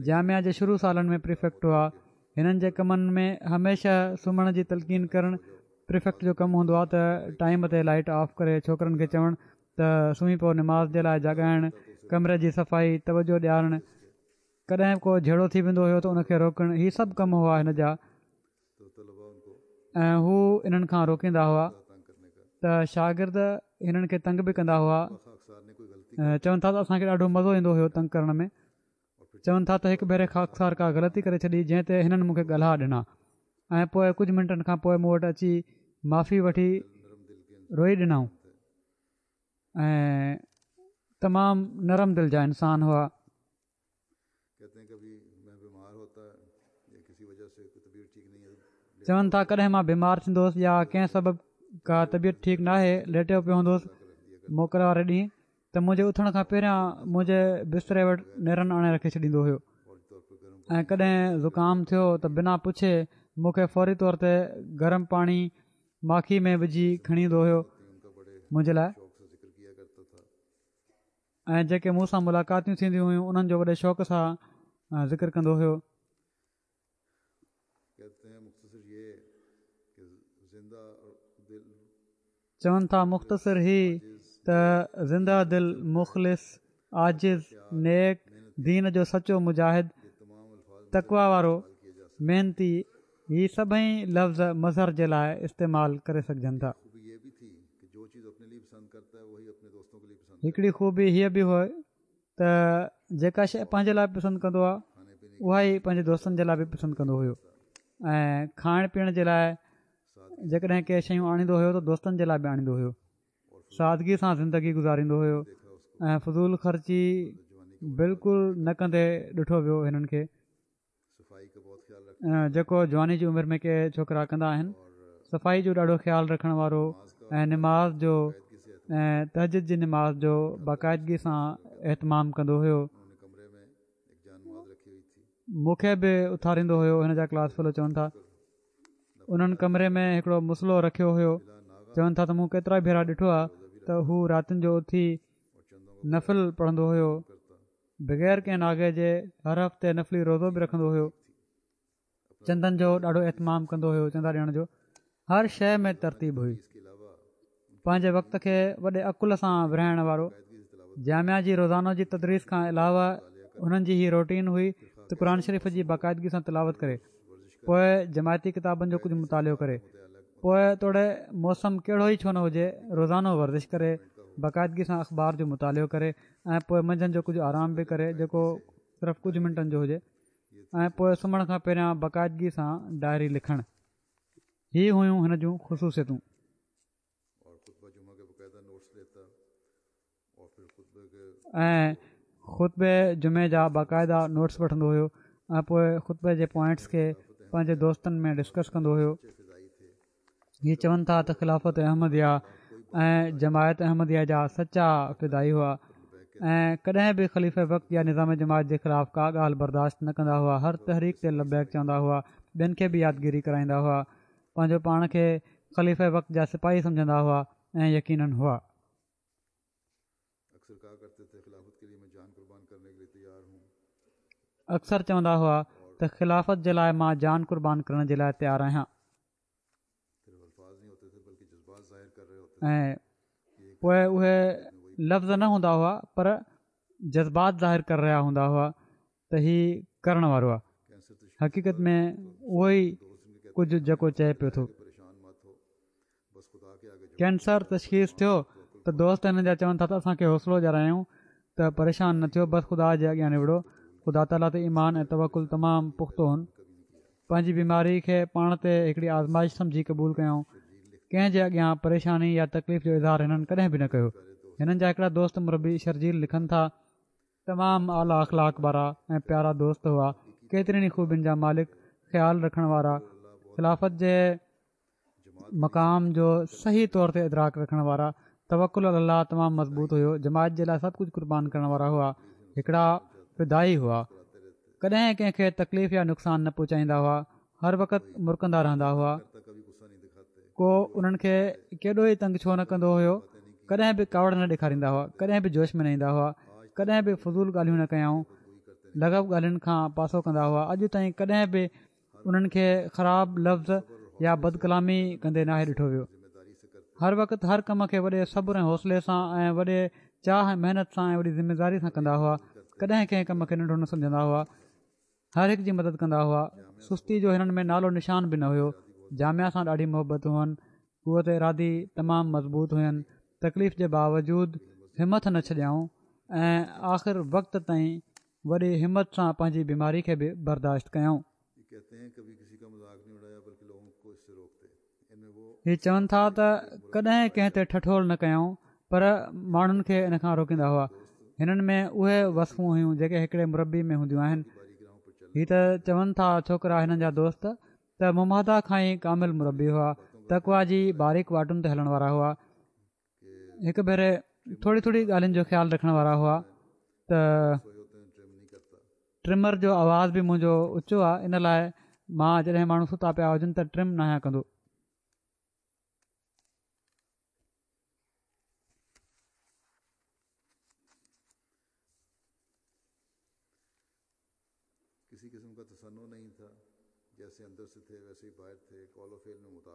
جامعه جي شروع سالن ۾ پريفيڪٽ هئا. هنن جي ڪمن ۾ هميشه سمهڻ جي تلقين ڪرڻ پريفيڪٽ جو ڪم هوندو آهي ته ٽائيم تي لائيٽ آف ڪري ڇوڪرن کي چوڻ ته سمهي پئو، نماز جي لاء جاڳائڻ، ڪمري جي صفائي، توجه ڏيارڻ، ڪڏهن ڪو جهيڙو ٿي ويندو هيو ته ان کي روڪڻ، هي سڀ ڪم هئا هن جا ۽ هو انهن کان روڪيندا هئا ته شاگرد هنن کي تنگ به ڪندا هئا. چون ٿا ته اسان کي ڏاڍو مزو ايندو هيو تنگ ڪرڻ ۾. چون ٿا ته هڪ ڀيري خاڪسار ڪا غلطي ڪري ڇڏي جنهن تي هنن مون کي ڳالها ڏنا ۽ پوء ڪجهه منٽن کان پوء مون وٽ اچي معافي وٺي روئي ڏنائون ۽ تمام نرم دل جا انسان هئا. چون ٿا ڪڏهن مان بيمار ٿيندو هوس يا ڪنهن سبب ڪا طبيعت ٺيڪ ناهي ليٽيو پيو هوندو هوس موڪل واري ڏينهن ته منهنجي اٿڻ کان پهريان منهنجي بستري وٽ نيرن آڻي رکي ڇڏيندو هيو ۽ ڪڏهن زڪام ٿيو ته بنا پڇي مون کي فوري طور تي گرم پاڻي ماکي ۾ وجهي کڻي ايندو هيو منهنجي لاء ۽ جيڪي مون سان ملاقاتيون ٿينديون هيون انهن جو وڏي شوق سان ذڪر ڪندو هيو. چون ٿا مختصر هي ته زنده دل، مخلص، عاجز، نيڪ، دين جو سچو مجاهد، تقويٰ وارو، محنتي، هي سڀئي لفظ مظهر جي لاء استعمال ڪري سگهجن ٿا. هڪڙي خوبي هيء به هئي ته جيڪا شيء پنهنجي لاء پسند ڪندو آهي اها ئي پنهنجي دوستن جي لاء به پسند ڪندو هيو ۽ کائڻ پيئڻ جي لاء جيڪڏهن ڪي شيون آڻيندو هيو ته دوستن جي لاء به آڻيندو هيو. سادگي سان زندگي گذاريندو هيو ۽ فضول خرچي بلڪل نه ڪندي ڏٺو ويو هنن کي جيڪو جواني جي عمر ۾ ڪي ڇوڪرا ڪندا آهن. صفائي جو ڏاڍو خيال رکڻ وارو، ۽ نماز جو ۽ تهجد جي نماز جو باقاعدگي سان اهتمام ڪندو هيو. مون کي به اٿاريندو هيو. هن جا ڪلاس فيلو چون ٿا انهن ڪمري ۾ هڪڙو مصلو رکيو هيو. چون ٿا ته مون ڪيترا ڀيرا ڏٺو آهي ته هو راتين جو اٿي نفل پڙهندو هيو، بغير ڪنهن ناغي جي هر هفتي نفلي روزو به رکندو هيو. چندن جو ڏاڍو اهتمام ڪندو هيو، چندا ڏيڻ جو هر شيء ۾ ترتيب هئي. پنهنجي وقت کي وڏي عقل سان ورهائڻ وارو. جامعه جي روزانو جي تدريس کان علاوه هنن جي هي روٽين هئي ته قرآن شريف جي باقاعدگي سان تلاوت ڪري، پوء جماعتي ڪتابن جو ڪجهه مطالعو ڪري، پوء توڙي موسم ڪهڙو ئي ڇو نه هجي روزانو ورزش ڪري، باقاعدگي سان اخبار جو مطالعو ڪري ۽ پوء منجهند جو ڪجهه آرام به ڪري جيڪو صرف ڪجهه منٽن جو هجي، ۽ پوء سمهڻ کان پهريان باقاعدگي سان ڊائري لکڻ. هي هيون هن جون خصوصيتون. ۽ خطبي جمعي جا باقاعده نوٽس وٺندو هيو ۽ پوء خطبي جي پوائنٽس کي پنهنجي دوستن ۾ ڊسڪس ڪندو هيو. هي چون ٿا ته خلافت احمديه ۽ جماعت احمديه جا سچا فدائي هئا ۽ ڪڏهن به خليفه وقت يا نظام جماعت جي خلاف ڪا ڳالهه برداشت نه ڪندا هئا. هر تحريڪ تي لبيڪ چوندا هئا، ٻين کي به يادگيري ڪرائيندا هئا، پنهنجو پاڻ کي خليفه وقت جا سپاهي سمجهندا هئا ۽ يقينن هئا. اڪثر چوندا هئا ته خلافت جي لاءِ مان جان قربان ڪرڻ جي لاءِ تيار آهيان. ۽ پوءِ اهي لفظ نه هوندا هئا پر جذبات ظاهر ڪري رهيا هوندا هئا ته هي ڪرڻ وارو آهي. حقيقت ۾ اهو ئي ڪجهه جيڪو چئي پيو ٿو. ڪينسر تشخيص ٿيو ته دوست هنن جا چون ٿا ته اسان کي حوصلو ڏياريائون ته پريشان نه ٿيو، بس خدا جي اڳيان نوڙو. خدا تعاليٰ تي ايمان ۽ توڪل تمام پختو هن. پنهنجي بيماري کي پاڻ تي هڪڙي آزمائش سمجهي قبول ڪيائون. ڪنهن جي اڳيان پريشاني يا تڪليف جو اظهار هنن ڪڏهن به نه ڪيو. هنن جا هڪڙا دوست مربي شرجيل لکن ٿا، تمام اعليٰ اخلاق وارا ۽ پيارا دوست هئا، ڪيترين ئي خوبين جا مالڪ، خيال رکڻ وارا، خلافت جي مقام جو صحيح طور تي ادراڪ رکڻ وارا، توڪل علي الله تمام مضبوط هيو، جماعت جي لاءِ سڀ ڪجهه قربان ڪرڻ وارا هئا، هڪڙا فدائي هئا، ڪڏهن ڪنهن کي تڪليف يا نقصان نه پهچائيندا هئا، هر وقت مرڪندا رهندا هئا، ڪو انهن کي ڪيڏو ئي تنگ ڇو نه ڪندو هيو، ڪڏهن به ڪاوڙ نه ڏيکاريندا هئا، ڪڏهن به جوش ۾ نه ايندا هئا، ڪڏهن به فضول ڳالهيون نه ڪيائون، لغو ڳالهين کان پاسو ڪندا هئا. اڄ تائين ڪڏهن به انهن کي خراب لفظ يا بدڪلامي ڪندي ناهي ڏٺو ويو. هر وقت هر ڪم کي وڏي صبر ۽ حوصلي سان ۽ وڏي چاهه ۽ محنت سان ۽ وڏي ذميداري سان ڪندا هئا. ڪڏهن ڪنهن ڪم کي ننڍو نه سمجهندا هئا، هر هڪ جي مدد ڪندا هئا. سستي جو هنن ۾ نالو نشان به نه هيو. جامعه سان ڏاڍي محبت هئن، قوت ارادي تمام مضبوط هين. تڪليف جي باوجود همٿ نه ڇڏيائون ۽ آخر وقت تائين وڏي همت سان پنهنجي بيماري کي به برداشت ڪيائون. هي چون ٿا ته ڪڏهن ڪنهن تي ٺٺول نه ڪيائون پر ماڻهن کي ان کان روڪيندا هئا. هنن ۾ اهي وصفون هيون جيڪي هڪڙي مربي ۾ هونديون آهن. هي ته چون ٿا ڇوڪرا هنن جا دوست ته مماهده کان ئي ڪامل مربي هئا، تقويٰ جي باريڪ واٽن تي هلڻ وارا هئا. هڪ ڀيري ٿوري ٿوري ڳالهين جو خيال رکڻ وارا هئا ته ٽرمر جو آواز به منهنجو اوچو آهي، ان لاءِ مان جڏهن ماڻهو ستا پيا هجن ته ٽرم ناهيان ڪندو.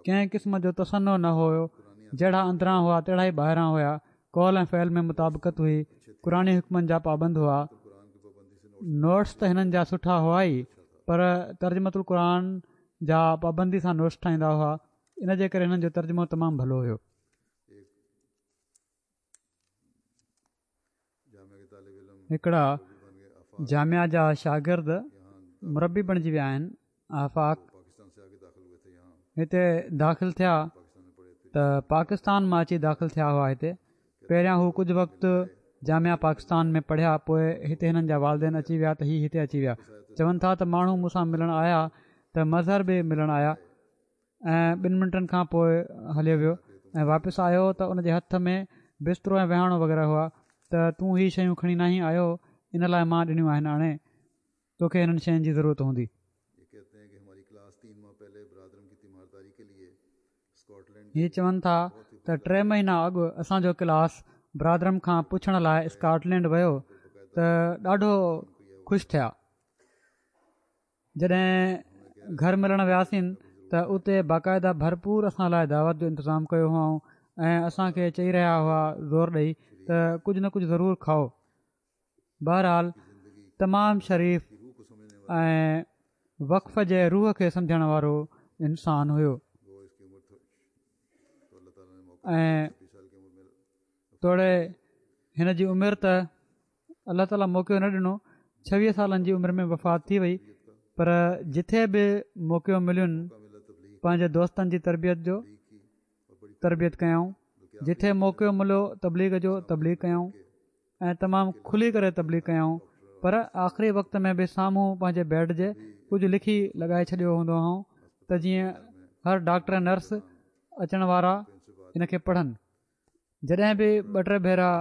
ڪنهن قسم جو تصنع نه هيو، جهڙا اندران هئا تهڙا ئي ٻاهران هيا. قول ۽ فعل ۾ مطابقت هئي. قرآني حڪمن جا پابند هئا. نوٽس ته هنن جا سٺا هئا ئي پر ترجمة القرآن جا پابندي سان نوٽس ٺاهيندا هئا، ان جي ڪري هنن جو ترجمو تمام ڀلو هيو. هڪڙا جامعه جا شاگرد مربي بڻجي ويا آهن. آفاق هتي داخل ٿيا ته پاڪستان مان اچي داخل ٿيا هئا. هتي پهريان هو ڪجهه وقت جامعه پاڪستان ۾ پڙهيا، پوءِ هتي هنن جا والدين اچي ويا ته هي هتي اچي ويا. چون ٿا ته ماڻهو مون سان ملڻ آيا ته مظهر به ملڻ آيا ۽ ٻن منٽن کان پوءِ هليو ويو. ۽ واپس آيو ته ان جي هٿ ۾ بسترو ۽ وهاڻو وغيره هئا ته تون هي شيون کڻي ناهين آيو، ان لاءِ مان ڏنيون آهن، آڻي توکي هنن شين جي ضرورت هوندي. هي چون ٿا ته ٽي مهينا اڳ اسان جو ڪلاس برادرم کان پڇڻ لاءِ اسڪاٽلينڊ ويو ته ڏاڍو خوش ٿيا. جڏهن گهر ملڻ وياسين ته اتي باقاعده ڀرپور اسان لاءِ دعوت جو انتظام ڪيو هئائون ۽ اسان کي چئي رهيا هئا زور ڏئي ته ڪجهه نه ڪجهه ضرور کائو. بهرحال تمام شريف ۽ وقف جي روح کي سمجهڻ وارو انسان هيو ۽ توڙي هن جي عمر ته الله تعاليٰ موقعو نه ڏنو، ڇويهه سالن جي عمر ۾ وفات ٿي وئي، پر جٿي به موقعو ملين پنهنجي دوستن جي تربيت جو تربيت ڪيائون، جٿي موقعو مليو تبليغ جو تبليغ ڪيائون ۽ تمام کلي ڪري تبليغ ڪيائون. پر آخري وقت ۾ به سامهون پنهنجي بيڊ جي ڪجهه لکي لڳائي ڇڏيو هوندو هئائون ته جيئن هر ڊاڪٽر ۽ نرس اچڻ وارا ان کي پڙهن. جڏهن به ٻه ٽي ڀيرا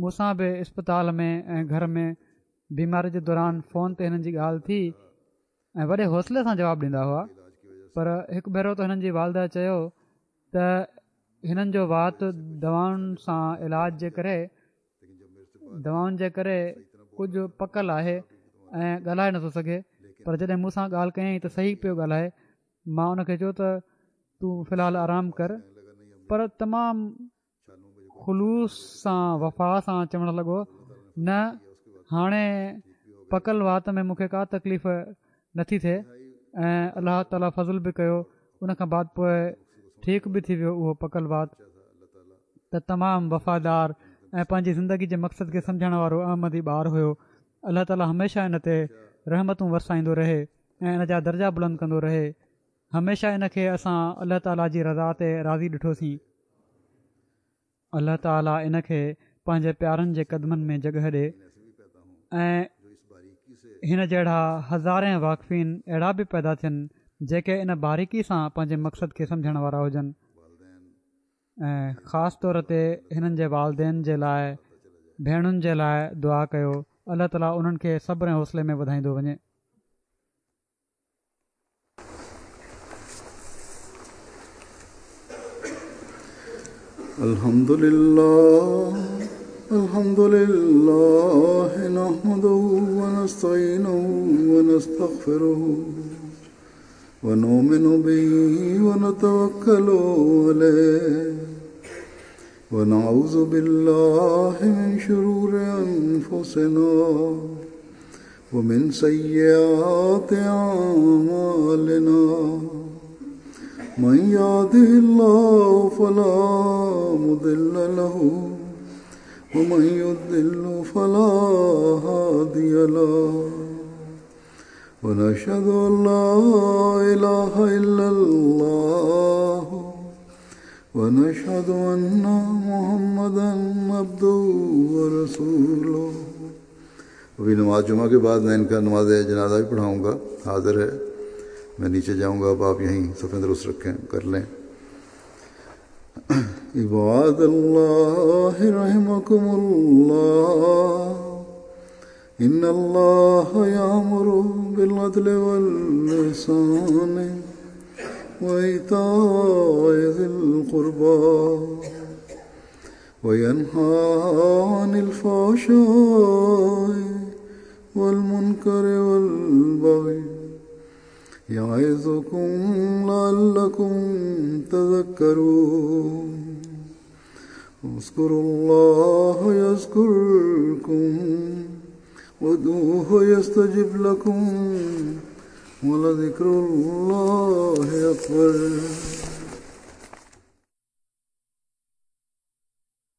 مون سان به اسپتال ۾ ۽ گهر ۾ بيماري جي دوران فون تي هنن جي ڳالهه ٿي ۽ وڏي حوصلي سان جواب ڏيندا هئا. پر هڪ ڀيرو ته هنن جي والده چيو ته هنن جو وات دوائن سان علاج جي ڪري دوائن جي ڪري ڪجهه پڪل آهي ۽ ڳالهائي نٿو سگهي، پر جڏهن مون سان ڳالهه ڪيائين ته صحيح پيو ڳالهائي. مان ان کي چيو ته تون في الحال آرام ڪر، پر تمام خلوص سان وفا سان چوڻ لڳو نه هاڻي پڪل وات ۾ مون کي ڪا تڪليف نٿي ٿئي ۽ الله تعاليٰ فضل به ڪيو، ان کان بعد پوءِ ٺيڪ به ٿي ويو اهو پڪل وات. ته تمام وفادار ۽ پنهنجي زندگي جي مقصد کي سمجهڻ وارو احمدي ٻار هيو. الله تعاليٰ هميشه ان تي رحمتون ورسائيندو رهي ۽ ان جا درجا بلند ڪندو رهي. هميشه ان کي اسان الله تعاليٰ جي رضا تي راضي ڏٺوسين. الله تعاليٰ ان کي پنهنجي پيارن جي قدمن ۾ جڳهه ڏي ۽ هن جهڙا هزارين واقفين اهڙا به پيدا ٿين جيڪي ان باريڪي سان پنهنجي مقصد کي سمجهڻ وارا هجن ۽ خاص طور تي هنن جي والدين جي لاءِ، ڀيڻن جي لاءِ دعا ڪيو. الله تعاليٰ انهن کي صبر ۽ حوصلي ۾ وڌائيندو وڃي. الحمد لله الحمد لله نحمده ونستعينه ونستغفره ونؤمن به ونتوكل عليه ونعوذ بالله من شرور أنفسنا ومن سيئات أعمالنا من يهده الله فلا مضل له ومن يضلل فلا هادي له ونشهد أن لا إله إلا الله ونشهد أن محمدا عبده ورسوله. अभी नमाज जुमा के बाद मैं इनका नमाज जनाजा भी पढ़ाऊँगा, हाजिर है। मैं नीचे जाऊँगा, अब आप यहीं सफ़ेद दुरुस्त रखें कर लें। इबादल्लाह रहमकुमुल्लाह इन्नल्लाह यामुरु बिलअदलि वल इहसान व ईताइ ज़िल क़ुर्बा व यन्हा अनिल फ़हशाइ वल मुनकर वल बग़ी यअज़ुकुम लअल्लकुम तज़क्करून। उज़्कुरुल्लाह यज़्कुरकुम वदऊहु यस्तजिब लकुम वलज़िक्रुल्लाहि अकबर।